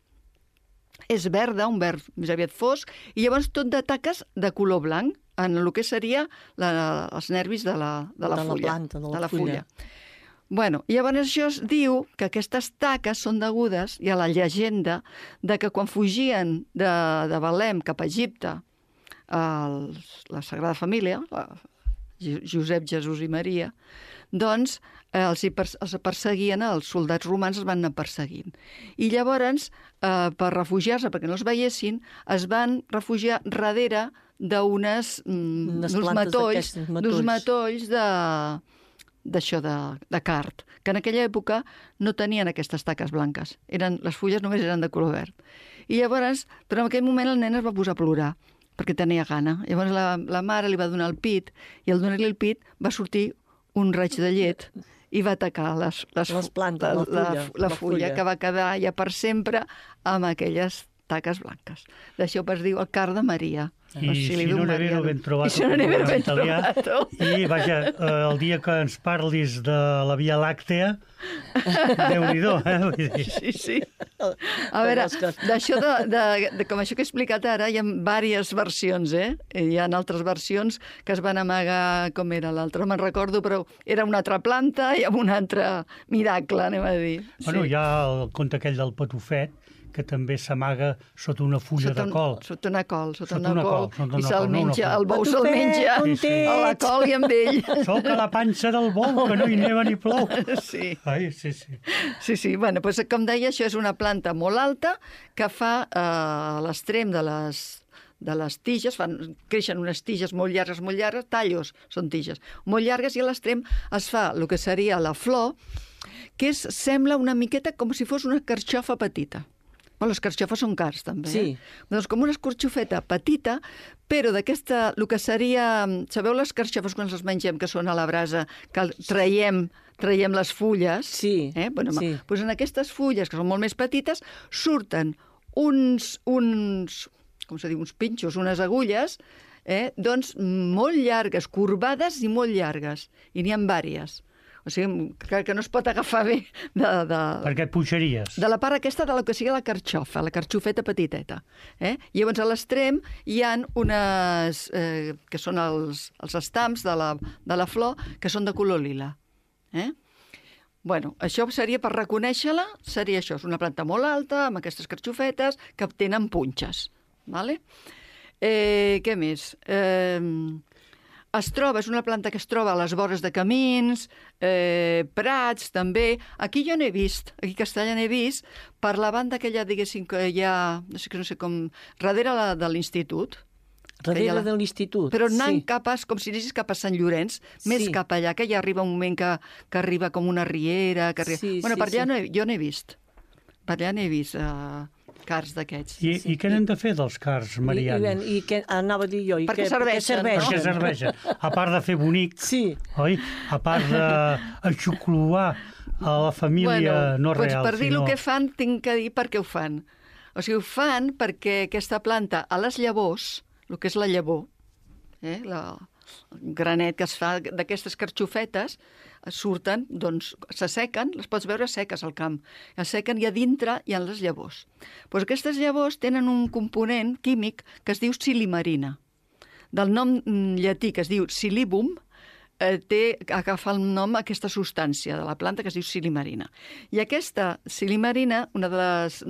És verda, un verd més aviat fosc, i llavors tot de taques de color blanc, en el que seria la, els nervis de la, de la De la fulla. planta, de la de la fulla. fulla. Bueno, i llavors això es diu que aquestes taques són degudes, hi ha la llegenda, de que quan fugien de, de Belém cap a Egipte, els, la Sagrada Família, la, Josep, Jesús i Maria, doncs eh, els, hi pers els perseguien, els soldats romans els van anar perseguint. I llavors, eh, per refugiar-se, perquè no els veiessin, es van refugiar darrere d'unes mm, Unes d'uns plantes matolls, d'aquestes, matolls. d'uns matolls de d'això de, de card, que en aquella època no tenien aquestes taques blanques. Eren, les fulles només eren de color verd. I llavors, però en aquell moment el nen es va posar a plorar, perquè tenia gana. Llavors la, la mare li va donar el pit, i al donar-li el pit va sortir un raig de llet i va atacar les, les, Les plantes, la la, fulla, la, la fulla, fulla. que va quedar ja per sempre amb aquelles taques blanques. D'això es diu el car de Maria. I O si Silibium no n'he marianum. ben trobat, I si no n'he el ben italià. trobat. I, vaja, eh, el dia que ens parlis de la Via Làctea, Déu-n'hi-do, eh? Vull dir. Sí, sí. A veure, d'això de, de, de, com això que he explicat ara, hi ha diverses versions, eh? Hi ha altres versions que es van amagar, com era l'altra, no me'n recordo, però era una altra planta i amb un altre miracle, anem a dir. Bueno, hi ha el conte aquell del patufet, que també s'amaga sota una fulla Sota, de col. un, sota una col, sota, Sota una, una col, col, sota una i se'l col, no una menja, flor. el bou se'l Patufet, menja on Sí, sí. a la col i amb ell. Soc a la panxa del bou, que no hi neva ni plou. Sí. Ai, sí, sí. Sí, sí, bueno, doncs, com deia, això és una planta molt alta que fa eh, a l'extrem de les, de les tiges, fan, creixen unes tiges molt llargues, molt llargues, tallos, són tiges, molt llargues, i a l'extrem es fa el que seria la flor, que és, sembla una miqueta com si fos una carxofa petita. Bueno, les carxofes són cars, també. Sí. Eh? Doncs com una escorxofeta petita, però d'aquesta, el que seria... Sabeu les carxofes quan les mengem, que són a la brasa, que traiem, traiem les fulles? Sí, Eh? Bueno, sí. Doncs en aquestes fulles, que són molt més petites, surten uns, uns, com se diu, uns pinxos, unes agulles, eh? doncs molt llargues, corbades i molt llargues. I n'hi ha vàries. O sigui, que, que no es pot agafar bé de, de, Perquè et puixaries. de la part aquesta de la que sigui la carxofa, la carxofeta petiteta. Eh? I llavors a l'extrem hi ha unes, eh, que són els, els estams de la, de la flor, que són de color lila. Eh? Bueno, això seria, per reconèixer-la, seria això, és una planta molt alta, amb aquestes carxofetes, que tenen punxes. Vale? Eh, què més? Eh, es troba, és una planta que es troba a les vores de camins, eh, prats, també. Aquí jo n'he vist, aquí a Castella n'he vist, per la banda aquella, diguéssim, que hi ha, no sé, no sé com, darrere la, de l'institut. Darrere la... de l'institut. Però anant sí. cap a, com si anessis cap a Sant Llorenç, més Sí. cap allà, que ja arriba un moment que, que arriba com una riera. Que arriba... Sí, bueno, sí, per allà sí. no he, jo n'he vist. Per allà n'he vist uh, cars d'aquests. I, I què n'hem de fer dels cars, I, Mariana? i, i què anava a dir jo? I Perquè què, serveixen, què Per què serveixen? A part de fer bonic, Sí. oi? A part d'aixocluar a la família no doncs real, per dir sinó... el que fan, tinc que dir per què ho fan. O sigui, ho fan perquè aquesta planta, a les llavors, el que és la llavor, eh, la, el granet que es fa d'aquestes carxofetes, surten, doncs, s'assequen, les pots veure seques al camp, assequen i a dintre hi ha les llavors. Doncs aquestes llavors tenen un component químic que es diu silimarina. Del nom llatí que es diu silibum, eh, té, agafa el nom aquesta substància de la planta que es diu silimarina. I aquesta silimarina, una de les,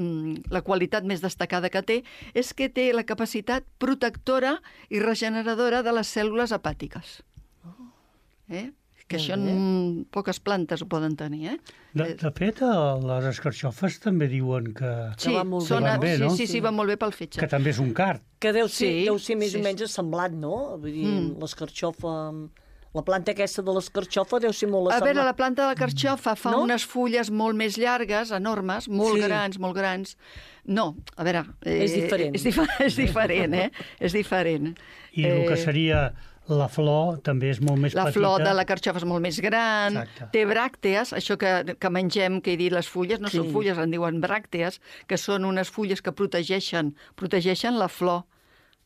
la qualitat més destacada que té, és que té la capacitat protectora i regeneradora de les cèl·lules hepàtiques. Eh? Que això en poques plantes ho poden tenir, eh? De, de fet, a les escarxofes també diuen que, Sí, va molt són, bé. Van bé, no? sí, sí, sí, va molt bé pel fetge. que també és un card. Que deu ser, Sí, deu ser més sí, o menys semblant, no? Vull dir, Mm. l'escarxofa... La planta aquesta de l'escarxofa deu ser molt A semblant. veure, la planta de la carxofa fa No? unes fulles molt més llargues, enormes, molt Sí. grans, molt grans. No, a veure... Eh, És diferent. És, dif és diferent, eh? És diferent. I el que seria la flor també és molt més La petita. flor de la carxofa és molt més gran, Exacte. té bràctees, això que, que mengem, que he dit, les fulles, no Sí. són fulles, en diuen bràctees, que són unes fulles que protegeixen, protegeixen la flor.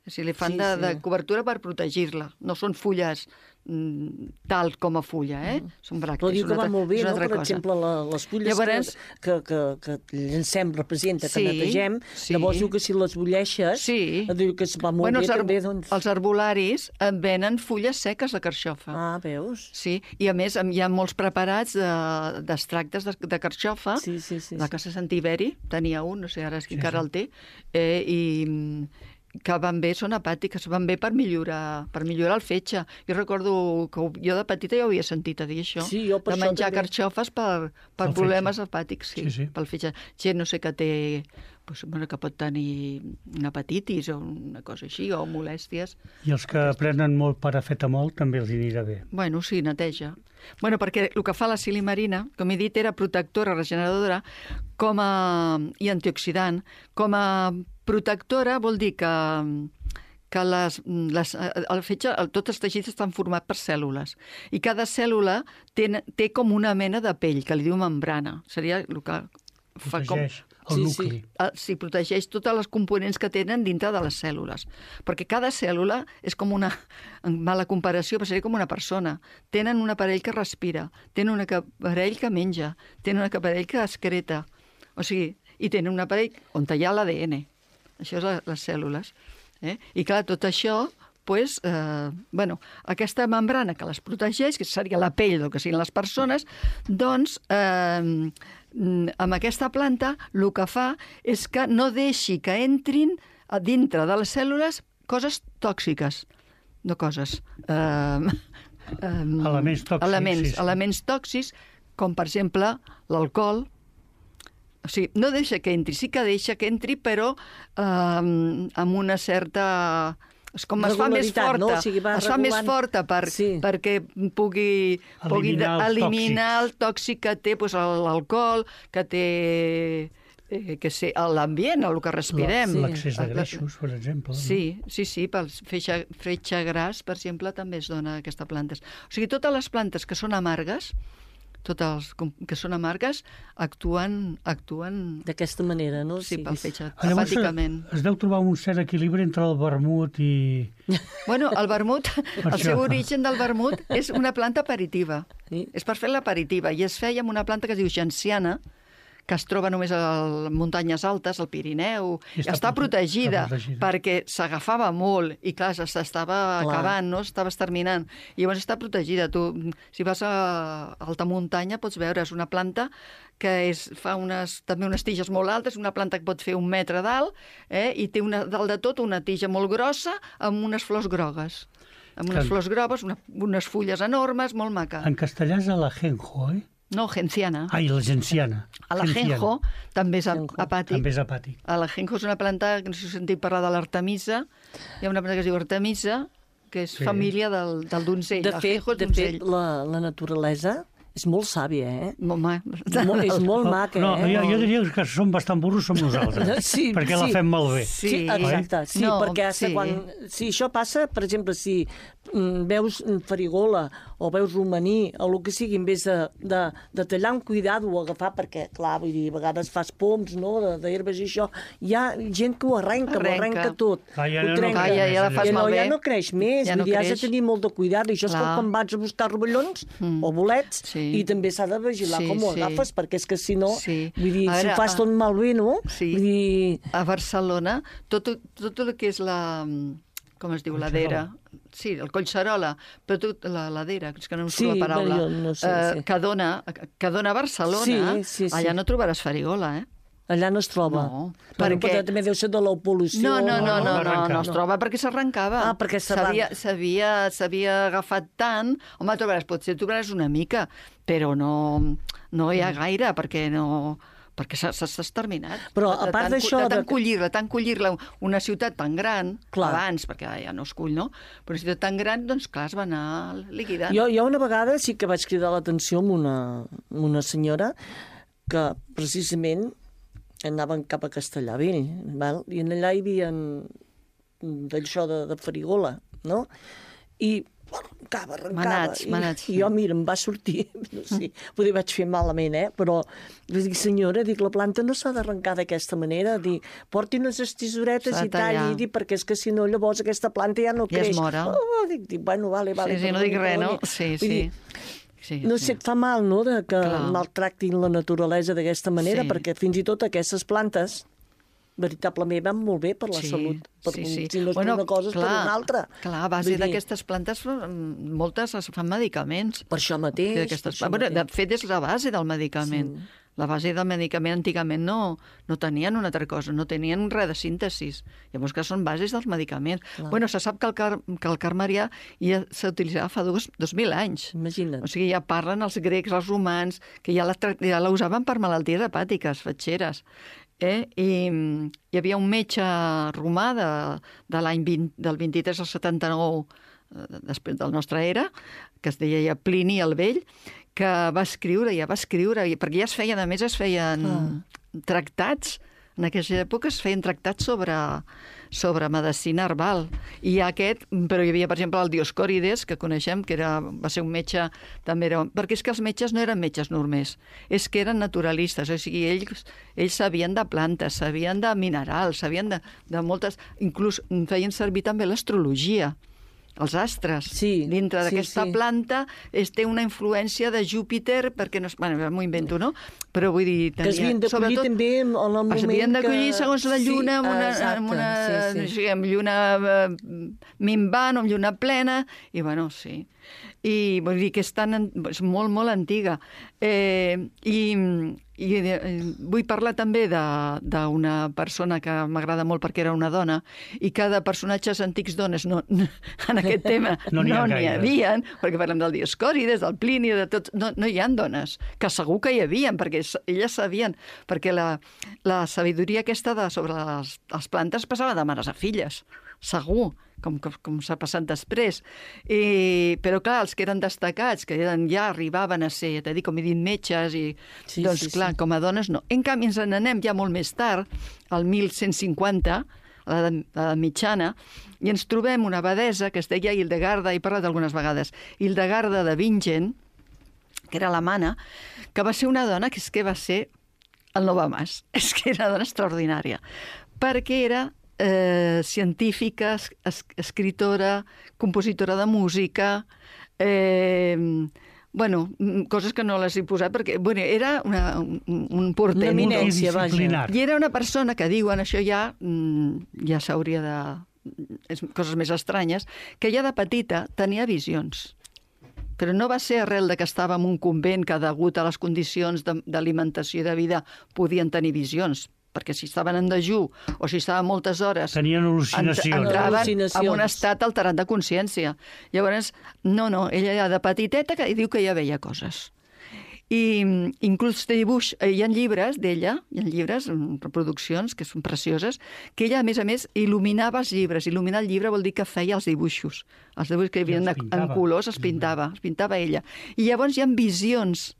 O sigui, li fan Sí, de, sí. de cobertura per protegir-la. No són fulles mm, tal com a fulla, eh? Són bràctees. Però diu és que una va altra- molt bé, és una no? altra Per cosa. exemple, la, les fulles Llavors- que, que, que, que llancem representa, que Sí, netegem, sí. llavors diu que si les bulleixes, Sí. diu que es va molt Bueno, bé els, ar també, doncs... els arbolaris en venen fulles seques de carxofa. Ah, veus? Sí, i a més hi ha molts preparats d'extractes de, de, de carxofa. Sí, sí, sí. La sí. Casa Sant Tiberi tenia un, no sé ara és que encara el té, eh, i mm, que van bé, són hepàtiques, van bé per millorar, per millorar el fetge. Jo recordo que jo de petita ja ho havia sentit a dir això, Sí, jo per de això menjar també. carxofes per, per Pel problemes fetge. hepàtics, sí, Sí, sí. pel fetge. Gent, no sé, que té, doncs, bueno, que pot tenir una hepatitis o una cosa així, o molèsties. I els que prenen molt paracetamol també els hi anirà bé. Bueno, sí, neteja. Bueno, perquè el que fa la silimarina, com he dit, era protectora, regeneradora com a, i antioxidant. Com a protectora vol dir que, que les, les, el fetge, el, tots els teixits estan formats per cèl·lules i cada cèl·lula té, té com una mena de pell, que li diu membrana. Seria el que fa com... Protegeix el Sí, nucli. Ah, sí, protegeix totes les components que tenen dintre de les cèl·lules. Perquè cada cèl·lula és com una, en mala comparació, però seria com una persona. Tenen un aparell que respira, tenen un aparell que menja, tenen un aparell que excreta. O sigui, i tenen un aparell on hi ha l'A D N. Això és la, les cèl·lules. Eh? I clar, tot això, pues, eh, bueno, aquesta membrana que les protegeix, que seria la pell del que siguin les persones, doncs, eh, amb aquesta planta el que fa és que no deixi que entrin a dintre de les cèl·lules coses tòxiques. No coses... Eh, eh, Elements tòxics, Elements, sí, sí. elements tòxics, com per exemple l'alcohol. O sigui, no deixa que entri, sí que deixa que entri, però eh, amb una certa... És com es fa més Regularitat, forta, no? O sigui, va es fa més regulant. forta per, Sí. perquè pugui, pugui Eliminar els eliminar el tòxics. tòxic que té doncs, l'alcohol, que té eh, que sé, l'ambient, el que respirem. Sí. L'accés de La- greixos, per exemple. no? Sí, sí, sí, pel fetge, fetge gras, per exemple, també es dona aquesta plantes. O sigui, totes les plantes que són amargues, totes com- que són amargues, actuen, actuen D'aquesta manera, no? sí, pel fetge, Ah, llavors, hepàticament. es deu trobar un cert equilibri entre el vermut i... Bueno, el vermut, el això. seu origen del vermut és una planta aperitiva. Sí. És per fer l'aperitiva. I es feia amb una planta que es diu genciana, que es troba només a les muntanyes altes, al Pirineu. I està Està, prote- protegida, està protegida. perquè s'agafava molt i, clar, s'estava Clar. acabant, no? S'estava exterminant. I llavors està protegida. Tu, si vas a alta muntanya, pots veure, és una planta que és, fa unes, també unes tiges molt altes, una planta que pot fer un metre d'alt, eh? I té una, dalt de tot una tija molt grossa amb unes flors grogues. amb unes Que- flors groves, una, unes fulles enormes, molt maca. En castellà és alajenjo, eh? No, genciana. Ai, la genciana. Alajenjo també és Ajenjo. apàtic. També és apàtic. Alajenjo és una planta, que no sé si heu sentit parlar de l'artemisa. Hi ha una planta que es diu artemisa, que és Sí. família del, del donzell. De fet, Ajenjo és de donzell. fet la, la naturalesa és molt sàvia, eh? Molt ma- Mo- és molt maca, No, eh? jo, jo diria que som bastant burros som nosaltres, Sí, perquè la sí. fem malbé. Sí, Sí. exacte. Sí, No, perquè hasta sí. quan... Si això passa, per exemple, si mm, veus farigola o veus romaní o el que sigui, en vez de, de, de tallar amb cuidado o agafar, perquè, clar, vull dir, a vegades fas poms, no?, de- d'herbes i això, hi ha gent que ho arrenca, ho Arrenca. arrenca tot. Clar, ja ho no trenca. creix ja, ja la més, fas Ja no, malbé. ja no creix més, Ja ja no vull dir, has de creix. tenir molt de cuidado. I això és com Clar. quan vas a buscar rovellons Mm. o bolets, Sí. i també s'ha de vigilar Sí, com ho sí. agafes, perquè és que si no, Sí. vull dir, A si veure, ho fas a- tot malbé, no? Sí. Vull dir, A Barcelona, tot, tot el que és la... com es diu, ladera. Sí, el Collserola, però tot la ladera, és que no em surt Sí, la paraula, bé, jo no sé, eh, sí. que, dona, que dona a Barcelona, Sí, sí, sí. allà no trobaràs farigola, eh? allà no es troba. No, Però perquè- també deu ser de l'opolució. No, no, no, no, no, no, arrencar. no es troba perquè s'arrencava. Ah, perquè s'arran- S'havia- S'havia s'havia agafat tant... Home, trobaràs, potser trobaràs una mica, però no, no hi ha Mm. gaire, perquè no... perquè s'ha s'ha exterminat. Però, De- de a part tant- d'això, De tant de- collir-la, tant collir-la, una ciutat tan gran, Clar. abans, perquè ara ja no es cull, no? Però una ciutat tan gran, doncs clar, es va anar liquidant. Jo, jo una vegada sí que vaig cridar l'atenció amb una, amb una senyora que precisament anaven cap a Castellavell, val? I en allà hi havia d'això de, de farigola, no? I arrencava, arrencava. Manats, I, manats. I jo, mira, em va sortir, no sé, potser vaig fer malament, eh? Però vaig dir, senyora, dic, la planta no s'ha d'arrencar d'aquesta manera, dic, porti unes estisoretes S'ha de i talli, tallar. dic, perquè és que si no, llavors aquesta planta ja no Ja es creix. mora. Oh, dic, dic, bueno, vale, vale. Sí, sí, no perdoni, dic res, no? perdoni. Sí, Vull sí. dir, Sí, no sí. sé, et fa mal, no?, de que Clar. maltractin la naturalesa d'aquesta manera, Sí. perquè fins i tot aquestes plantes veritablement van molt bé per la Sí, salut. Per, sí, sí. Si no és Bueno, per una cosa, és clar, per una altra. Clar, a base Vull dir, d'aquestes plantes, mm, moltes es fan medicaments. Per això mateix. D'aquestes- per això bueno, de mateix. fet, és la base del medicament. Sí. La base del medicament antigament no, no tenien una altra cosa, no tenien res de síntesi. Llavors, que són bases dels medicaments. Clar. Bueno, se sap que el, car, que el carmarià ja s'utilitzava fa dos, dos mil anys. Imagina't. O sigui, ja parlen els grecs, els romans, que ja la, tra- ja la usaven per malalties hepàtiques, fatxeres. Eh? I mm, hi havia un metge romà de, de l'any vint, del vint-i-tres al setanta-nou, eh, després del nostre era, que es deia ja Plini el Vell, que va escriure, ja va escriure, i- perquè ja es feien, a més es feien Ah. tractats, en aquella època es feien tractats sobre, sobre medicina herbal. I aquest, però hi havia, per exemple, el Dioscòrides, que coneixem, que era, va ser un metge, també era... Perquè és que els metges no eren metges normers, és que eren naturalistes, o sigui, ells, ells sabien de plantes, sabien de minerals, sabien de, de moltes... Inclús feien servir també l'astrologia, els astres. Sí, Dintre sí, d'aquesta sí. planta es té una influència de Júpiter, perquè no... es- Bueno, m'ho invento, no? Però vull dir... Que es havien de collir sobretot- també en el moment S'havien de que... collir segons la lluna, amb una, exacte, amb una, sí, sí. sí, amb lluna eh, minvant o amb lluna plena, i bueno, sí. I vull dir que és, tan, an- és molt, molt antiga. Eh, I i eh, vull parlar també de- d'una persona que m'agrada molt perquè era una dona, i que de personatges antics dones no, en aquest tema No n'hi ha no n'hi gaires. havia, perquè parlem del Dioscòrides, del Plini, de tots, no, no hi ha dones, que segur que hi havia, perquè s- elles sabien, perquè la, la sabidoria aquesta de, sobre les, les plantes passava de mares a filles, segur, com, com, com s'ha passat després. I, però clar, els que eren destacats, que eren, ja arribaven a ser, t'he dit, com he dit, metges, i Sí, doncs sí, clar, sí. com a dones no. En canvi, ens n'anem ja molt més tard, al mil cent cinquanta, a l'edat l'edat mitjana, i ens trobem una abadesa que es deia Hildegarda, he parlat algunes vegades, Hildegarda de Bingen, que era alemana, que va ser una dona que és que va ser el Nova Mas. És que era una dona extraordinària, perquè era eh, científica, es, es, escritora, compositora de música, eh, bueno, mm, coses que no les he posat, perquè bueno, era una, un, un portent. Una eminència, vaja. Multidisciplinar. I era una persona que diuen, això ja, mm, ja s'hauria de... És coses més estranyes, que ja de petita tenia visions. Però no va ser arrel de que estava en un convent que, degut a les condicions de- d'alimentació i de vida, podien tenir visions. perquè si estaven en dejú o si estaven moltes hores... Tenien al·lucinacions. Entraven Al·lucinacions. en un estat alterat de consciència. Llavors, no, no, ella ja de petiteta que diu que ja veia coses. I inclús de dibuix, hi ha llibres d'ella, hi ha llibres, reproduccions, que són precioses, que ella, a més a més, il·luminava els llibres. Il·luminar el llibre vol dir que feia els dibuixos. Els dibuixos que hi havia en, en colors es pintava, es pintava ella. I llavors hi ha visions,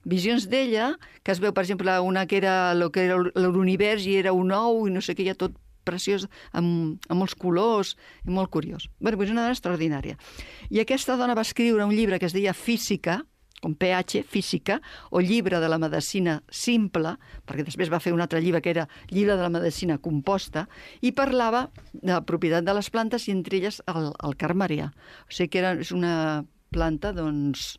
visions d'ella, que es veu, per exemple, una que era el que era l'univers i era un ou i no sé què, hi ha tot preciós, amb, amb molts colors, i molt curiós. Bé, doncs una dona extraordinària. I aquesta dona va escriure un llibre que es deia Física, com P H, Física, o Llibre de la Medicina Simple, perquè després va fer un altre llibre que era Llibre de la Medicina Composta, i parlava de la propietat de les plantes i entre elles el, el carmarià. O sigui que era, és una planta, doncs...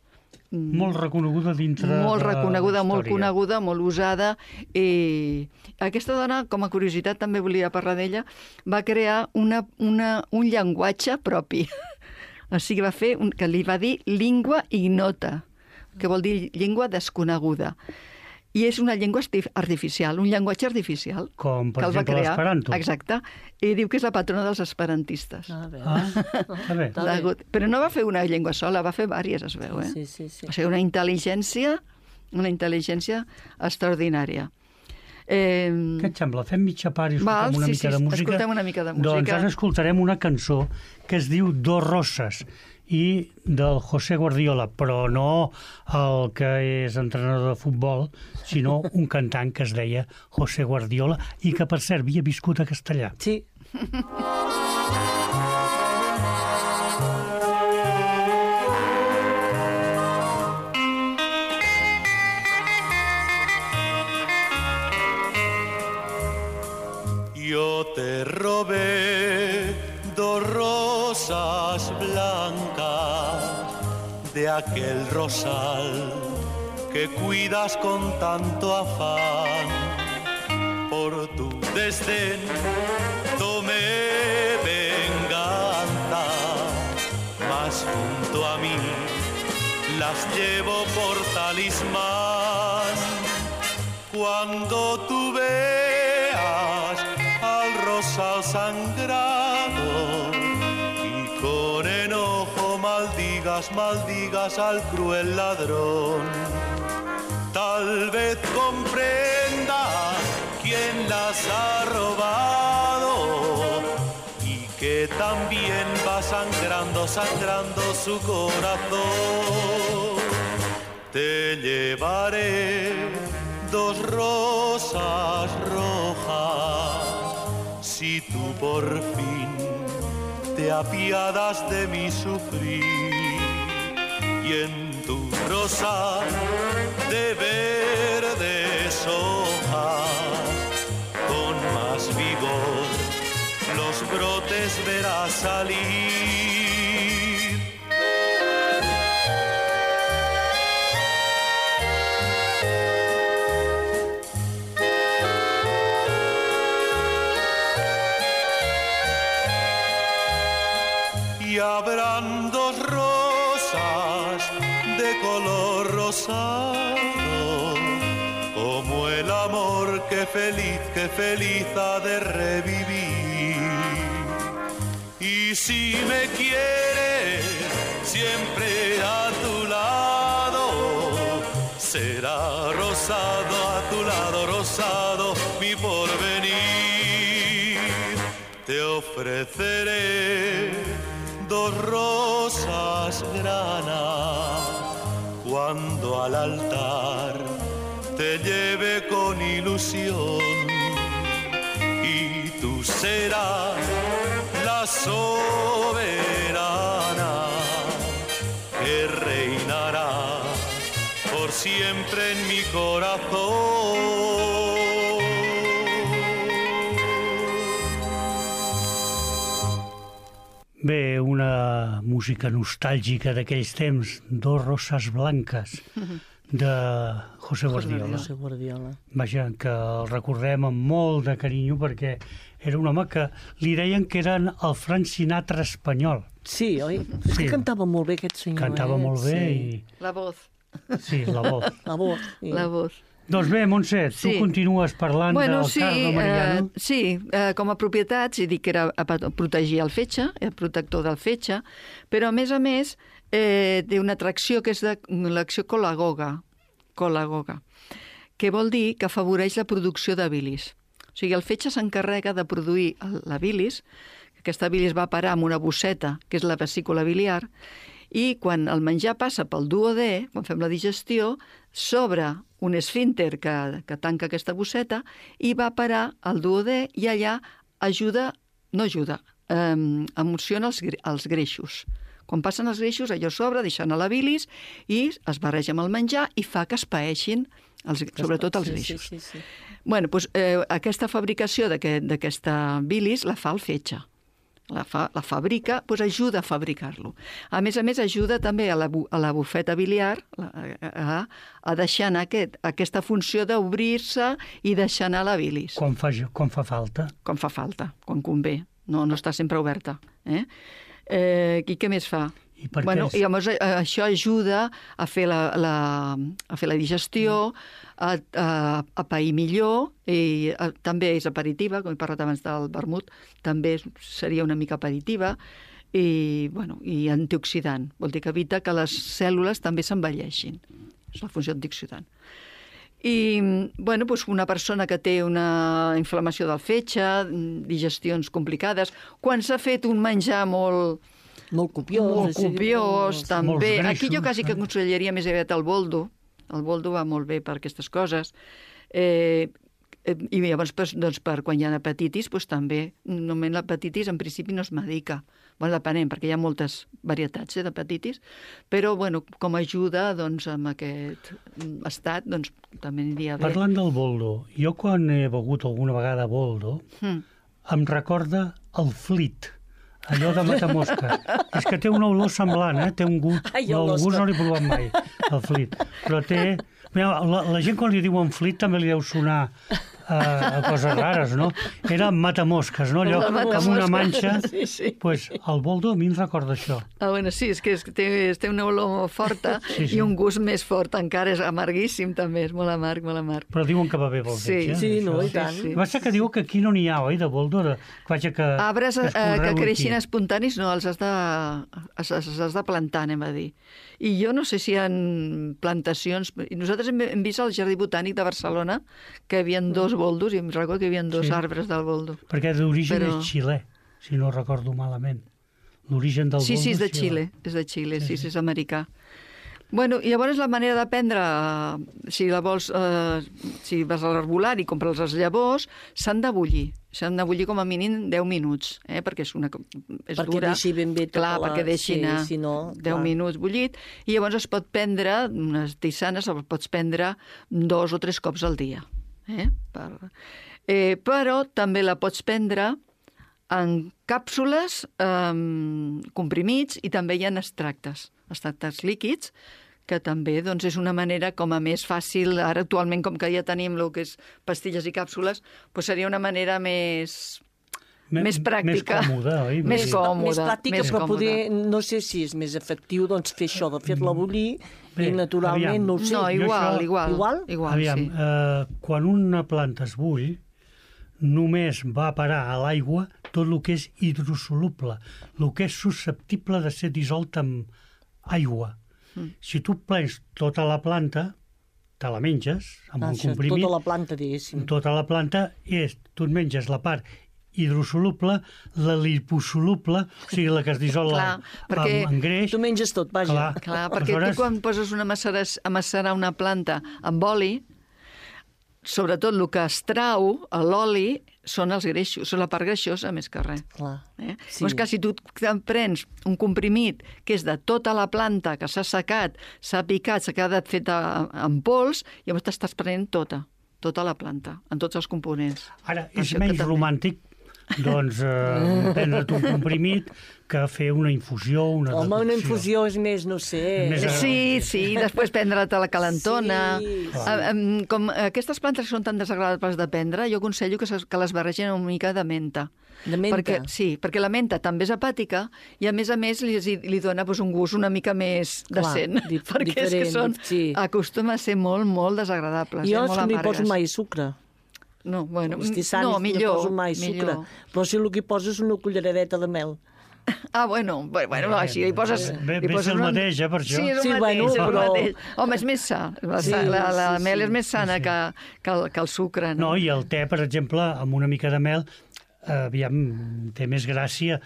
Molt reconeguda dintre molt de reconeguda, la molt història. coneguda, molt usada. I aquesta dona, com a curiositat, també volia parlar d'ella, va crear una, una, un llenguatge propi. O sigui, va fer un, que li va dir língua ignota, que vol dir llengua desconeguda. I és una llengua artificial, un llenguatge artificial. Com, per que el va exemple, crear. l'esperanto. Exacte. I diu que és la patrona dels esperantistes. Ah, bé. Ah, està bé. Està L'ha bé. hagut- Però no va fer una llengua sola, va fer vàries, es veu, eh? Sí, sí, sí. O sigui, una intel·ligència, una intel·ligència extraordinària. Eh, Què et sembla? Fem mitja part i escoltem Val, una sí, mica sí, de música? escoltem una mica de música. Doncs ara escoltarem una cançó que es diu Dos Roses i del José Guardiola, però no el que és entrenador de futbol, sinó un cantant que es deia José Guardiola i que, per cert, havia viscut a Castellà. Sí. Yo te robé dos rosas blancas de aquel rosal que cuidas con tanto afán. Por tu desdén tomé venganza, mas junto a mí las llevo por talismán. Cuando tú veas al rosal sangrado y con enojo maldigas, maldigas al cruel ladrón, tal vez comprenda quién las ha robado y que también va sangrando, sangrando su corazón. Te llevaré dos rosas rojas si tú por fin te apiadas de mi sufrir, y en tu rosa de verdes hojas con más vigor los brotes verás salir. Y habrán dos rosas de color rosado, como el amor que feliz, que feliz ha de revivir. Y si me quieres siempre a tu lado, será rosado a tu lado, rosado mi porvenir. Te ofreceré dos rosas grana cuando al altar te lleve con ilusión, y tú serás la soberana que reinará por siempre en mi corazón. Bé, una música nostàlgica d'aquells temps, Dos Roses Blanques, de José Guardiola. José Guardiola. Vaja, que el recordem amb molt de carinyo perquè era un home que li deien que eren el Frank Sinatra espanyol. Sí, oi? És Sí. que cantava molt bé aquest senyor. Cantava eh? molt bé sí. i... La voz. Sí, la voz. La voz. Sí. La voz. Doncs bé, Montse, tu Sí. continues parlant Bueno, del sí, cardo Mariano. eh, sí, eh, com a propietats, he dit que era a pa- protegir el fetge, el protector del fetge, però a més a més eh, té una atracció que és de l'acció colagoga, colagoga, que vol dir que afavoreix la producció de bilis. O sigui, el fetge s'encarrega de produir el- la bilis, aquesta bilis va parar amb una bosseta, que és la vesícula biliar, i quan el menjar passa pel duodè, quan fem la digestió, s'obre un esfínter que, que tanca aquesta bosseta i va parar al duodè i allà ajuda, no ajuda, eh, emociona els, gre- els greixos. Quan passen els greixos, allò s'obre, deixant a la bilis i es barreja amb el menjar i fa que es paeixin, els, sobretot els Sí, greixos. Sí, sí, sí. Bueno, doncs, eh, aquesta fabricació d'aquest- d'aquesta bilis la fa el fetge. La, fa, la fabrica, doncs ajuda a fabricar-lo. A més a més, ajuda també a la, bu- a la bufeta biliar la- a, a deixar anar aquest, aquesta funció d'obrir-se i deixar anar la bilis, Quan fa, quan fa falta. quan fa falta, quan convé. No, no està sempre oberta. Eh? Eh, I què més fa? I per què Bueno, és- i llavors eh, això ajuda a fer la, la, a fer la digestió, a, a, a pair millor, i a, també és aperitiva, com he parlat abans del vermut, també és- seria una mica aperitiva, i, bueno, i antioxidant. Vol dir que evita que les cèl·lules també s'envelleixin. És la funció antioxidant. I, bueno, doncs una persona que té una inflamació del fetge, digestions complicades, quan s'ha fet un menjar molt, Molt copiós. molt així, copiós, molt- també. Molts Aquí jo greixos, quasi que eh? aconsellaria més aviat el boldo. El boldo va molt bé per aquestes coses. Eh, eh, I llavors, doncs, doncs, per quan hi ha hepatitis, doncs, també, normalment l'hepatitis en principi no es medica. Bueno, depenent, perquè hi ha moltes varietats eh, d'hepatitis, però bueno, com a ajuda doncs, amb aquest estat, doncs, també aniria bé. Parlant del boldo, jo quan he begut alguna vegada boldo, Mm. em recorda el flit, allò de matamosca. És que té una olor semblant, eh? Té un gust, Ai, no, el olors gust que- no l'he provat mai, el flit. Però té... Mira, la, la gent quan li diuen flit també li deu sonar uh, a coses rares, no? Era matamosques, no? Allò La amb una matamosca, manxa. sí, sí. Pues el boldo a mi em recorda això. Ah, bueno, sí, és que és, té, té una olor forta Sí, sí. i un gust més fort encara, és amarguíssim també, és molt amarg, molt amarg. Però diuen que va bé pel Sí, fetge. sí, no, això. i tant. Sí, sí. Va ser que diu que aquí no n'hi ha, oi, de boldo? De... Vaja, que, Arbres eh, es que conreu creixin aquí. espontanis, no, els has de, els, els has de plantar, anem a dir. I jo no sé si hi ha plantacions... I nosaltres hem, hem vist al Jardí Botànic de Barcelona que hi havia dos boldos, i em recordo que hi havia dos Sí. arbres del boldo. Perquè d'origen Però- és xilè, si no recordo malament. L'origen del Sí, boldo sí, és de xilè. Xile, és de Xile, Sí, sí, sí. sí, és americà. Bueno, i llavors la manera de prendre, eh, si la vols, eh, si vas a l'arbolar i compres les llavors, s'han de bullir. S'han de bullir com a mínim deu minuts, eh, perquè és una és Perquè dura. deixi ben bé tota Clar, la- perquè deixi sí, anar si no, deu clar. minuts bullit, i llavors es pot prendre, unes tisanes, el pots prendre dos o tres cops al dia. Eh? Per... Eh, però també la pots prendre en càpsules, eh, comprimits, i també hi ha extractes, extractes líquids, que també doncs, és una manera com a més fàcil, ara actualment com que ja tenim el que és pastilles i càpsules, doncs seria una manera més, Me- més pràctica. Més còmoda, oi? Més Vull dir, còmoda, més pràctica, més però còmoda. poder, no sé si és més efectiu doncs, fer això, de fer-la bullir, Bé, i naturalment, aviam. no ho sé. No, Jo igual, això- igual, Igual? igual, Aviam, sí. eh, quan una planta es bull, només va a parar a l'aigua tot el que és hidrosoluble, el que és susceptible de ser dissolt amb aigua. Mm. Si tu plens tota la planta, te la menges amb Ah, un això, comprimit, tota la planta, diguéssim. tota la planta és, tu et menges la part hidrosoluble, la liposoluble, o sigui, la que es dissol Clar, amb, perquè amb greix. Tu menges tot, vaja. Clar. Clar, perquè Aleshores- tu quan poses una macerar, a macerar una planta amb oli, sobretot el que es trau a l'oli són els greixos, són la part greixosa més que res. Clar. Eh? Sí. Sí. Llavors, que si tu te'n prens un comprimit que és de tota la planta, que s'ha secat, s'ha picat, s'ha quedat feta en pols, llavors t'estàs prenent tota, tota la planta, en tots els components. Ara, Per és això que menys també- romàntic doncs eh, prendre't un comprimit que fer una infusió, una Home, deducció. una infusió és més, no sé... Més a- Sí, sí, després prendre-te la calentona. Sí. Ah, em, Com aquestes plantes que són tan desagradables de prendre, jo aconsello que, ses- que les barregin una mica de menta. De menta? Perquè, sí, perquè la menta també és hepàtica i, a més a més, li, li dona doncs, un gust una mica més Clar, decent. di- perquè és que diferent, són, sí. acostuma a ser molt, molt desagradables. Jo eh, és molt que no hi poso amargues. mai sucre. No, bueno, Els tissanis no, millor. no poso mai sucre. millor. Però si el que hi poso és una culleradeta de mel. Ah, bueno, bueno, bueno així li poses... Bé, li bé poses és el una- mateix, eh, per això. Sí, és el Sí, mateix, bueno, és el però- mateix. Home, és més sa. La, Sí, la, la sí, mel sí. és més sana que, que, el, que el sucre, no? No, i el te, per exemple, amb una mica de mel, eh, aviam, té més gràcia.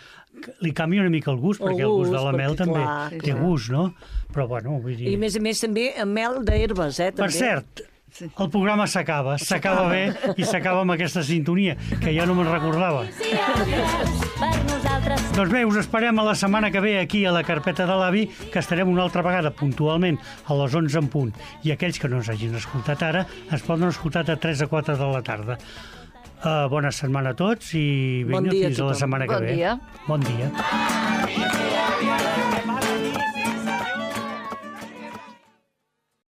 Li canvia una mica el gust, El perquè el gust de gust, la mel perquè, també clar, té clar. gust, no? Però, bueno, vull dir... I a més a més també amb mel d'herbes, eh? Per També. cert, el programa s'acaba, s'acaba bé i s'acaba amb aquesta sintonia, que ja no me'n recordava. I àvies, per nosaltres Doncs bé, us esperem a la setmana que ve aquí a la Carpeta de l'Avi, que estarem una altra vegada puntualment a les onze en punt. I aquells que no ens hagin escoltat ara, ens poden escoltar de tres a quatre de la tarda. Uh, bona setmana a tots i Bon vinga, dia a fins a la tothom. setmana que Bon ve. dia. Bon dia.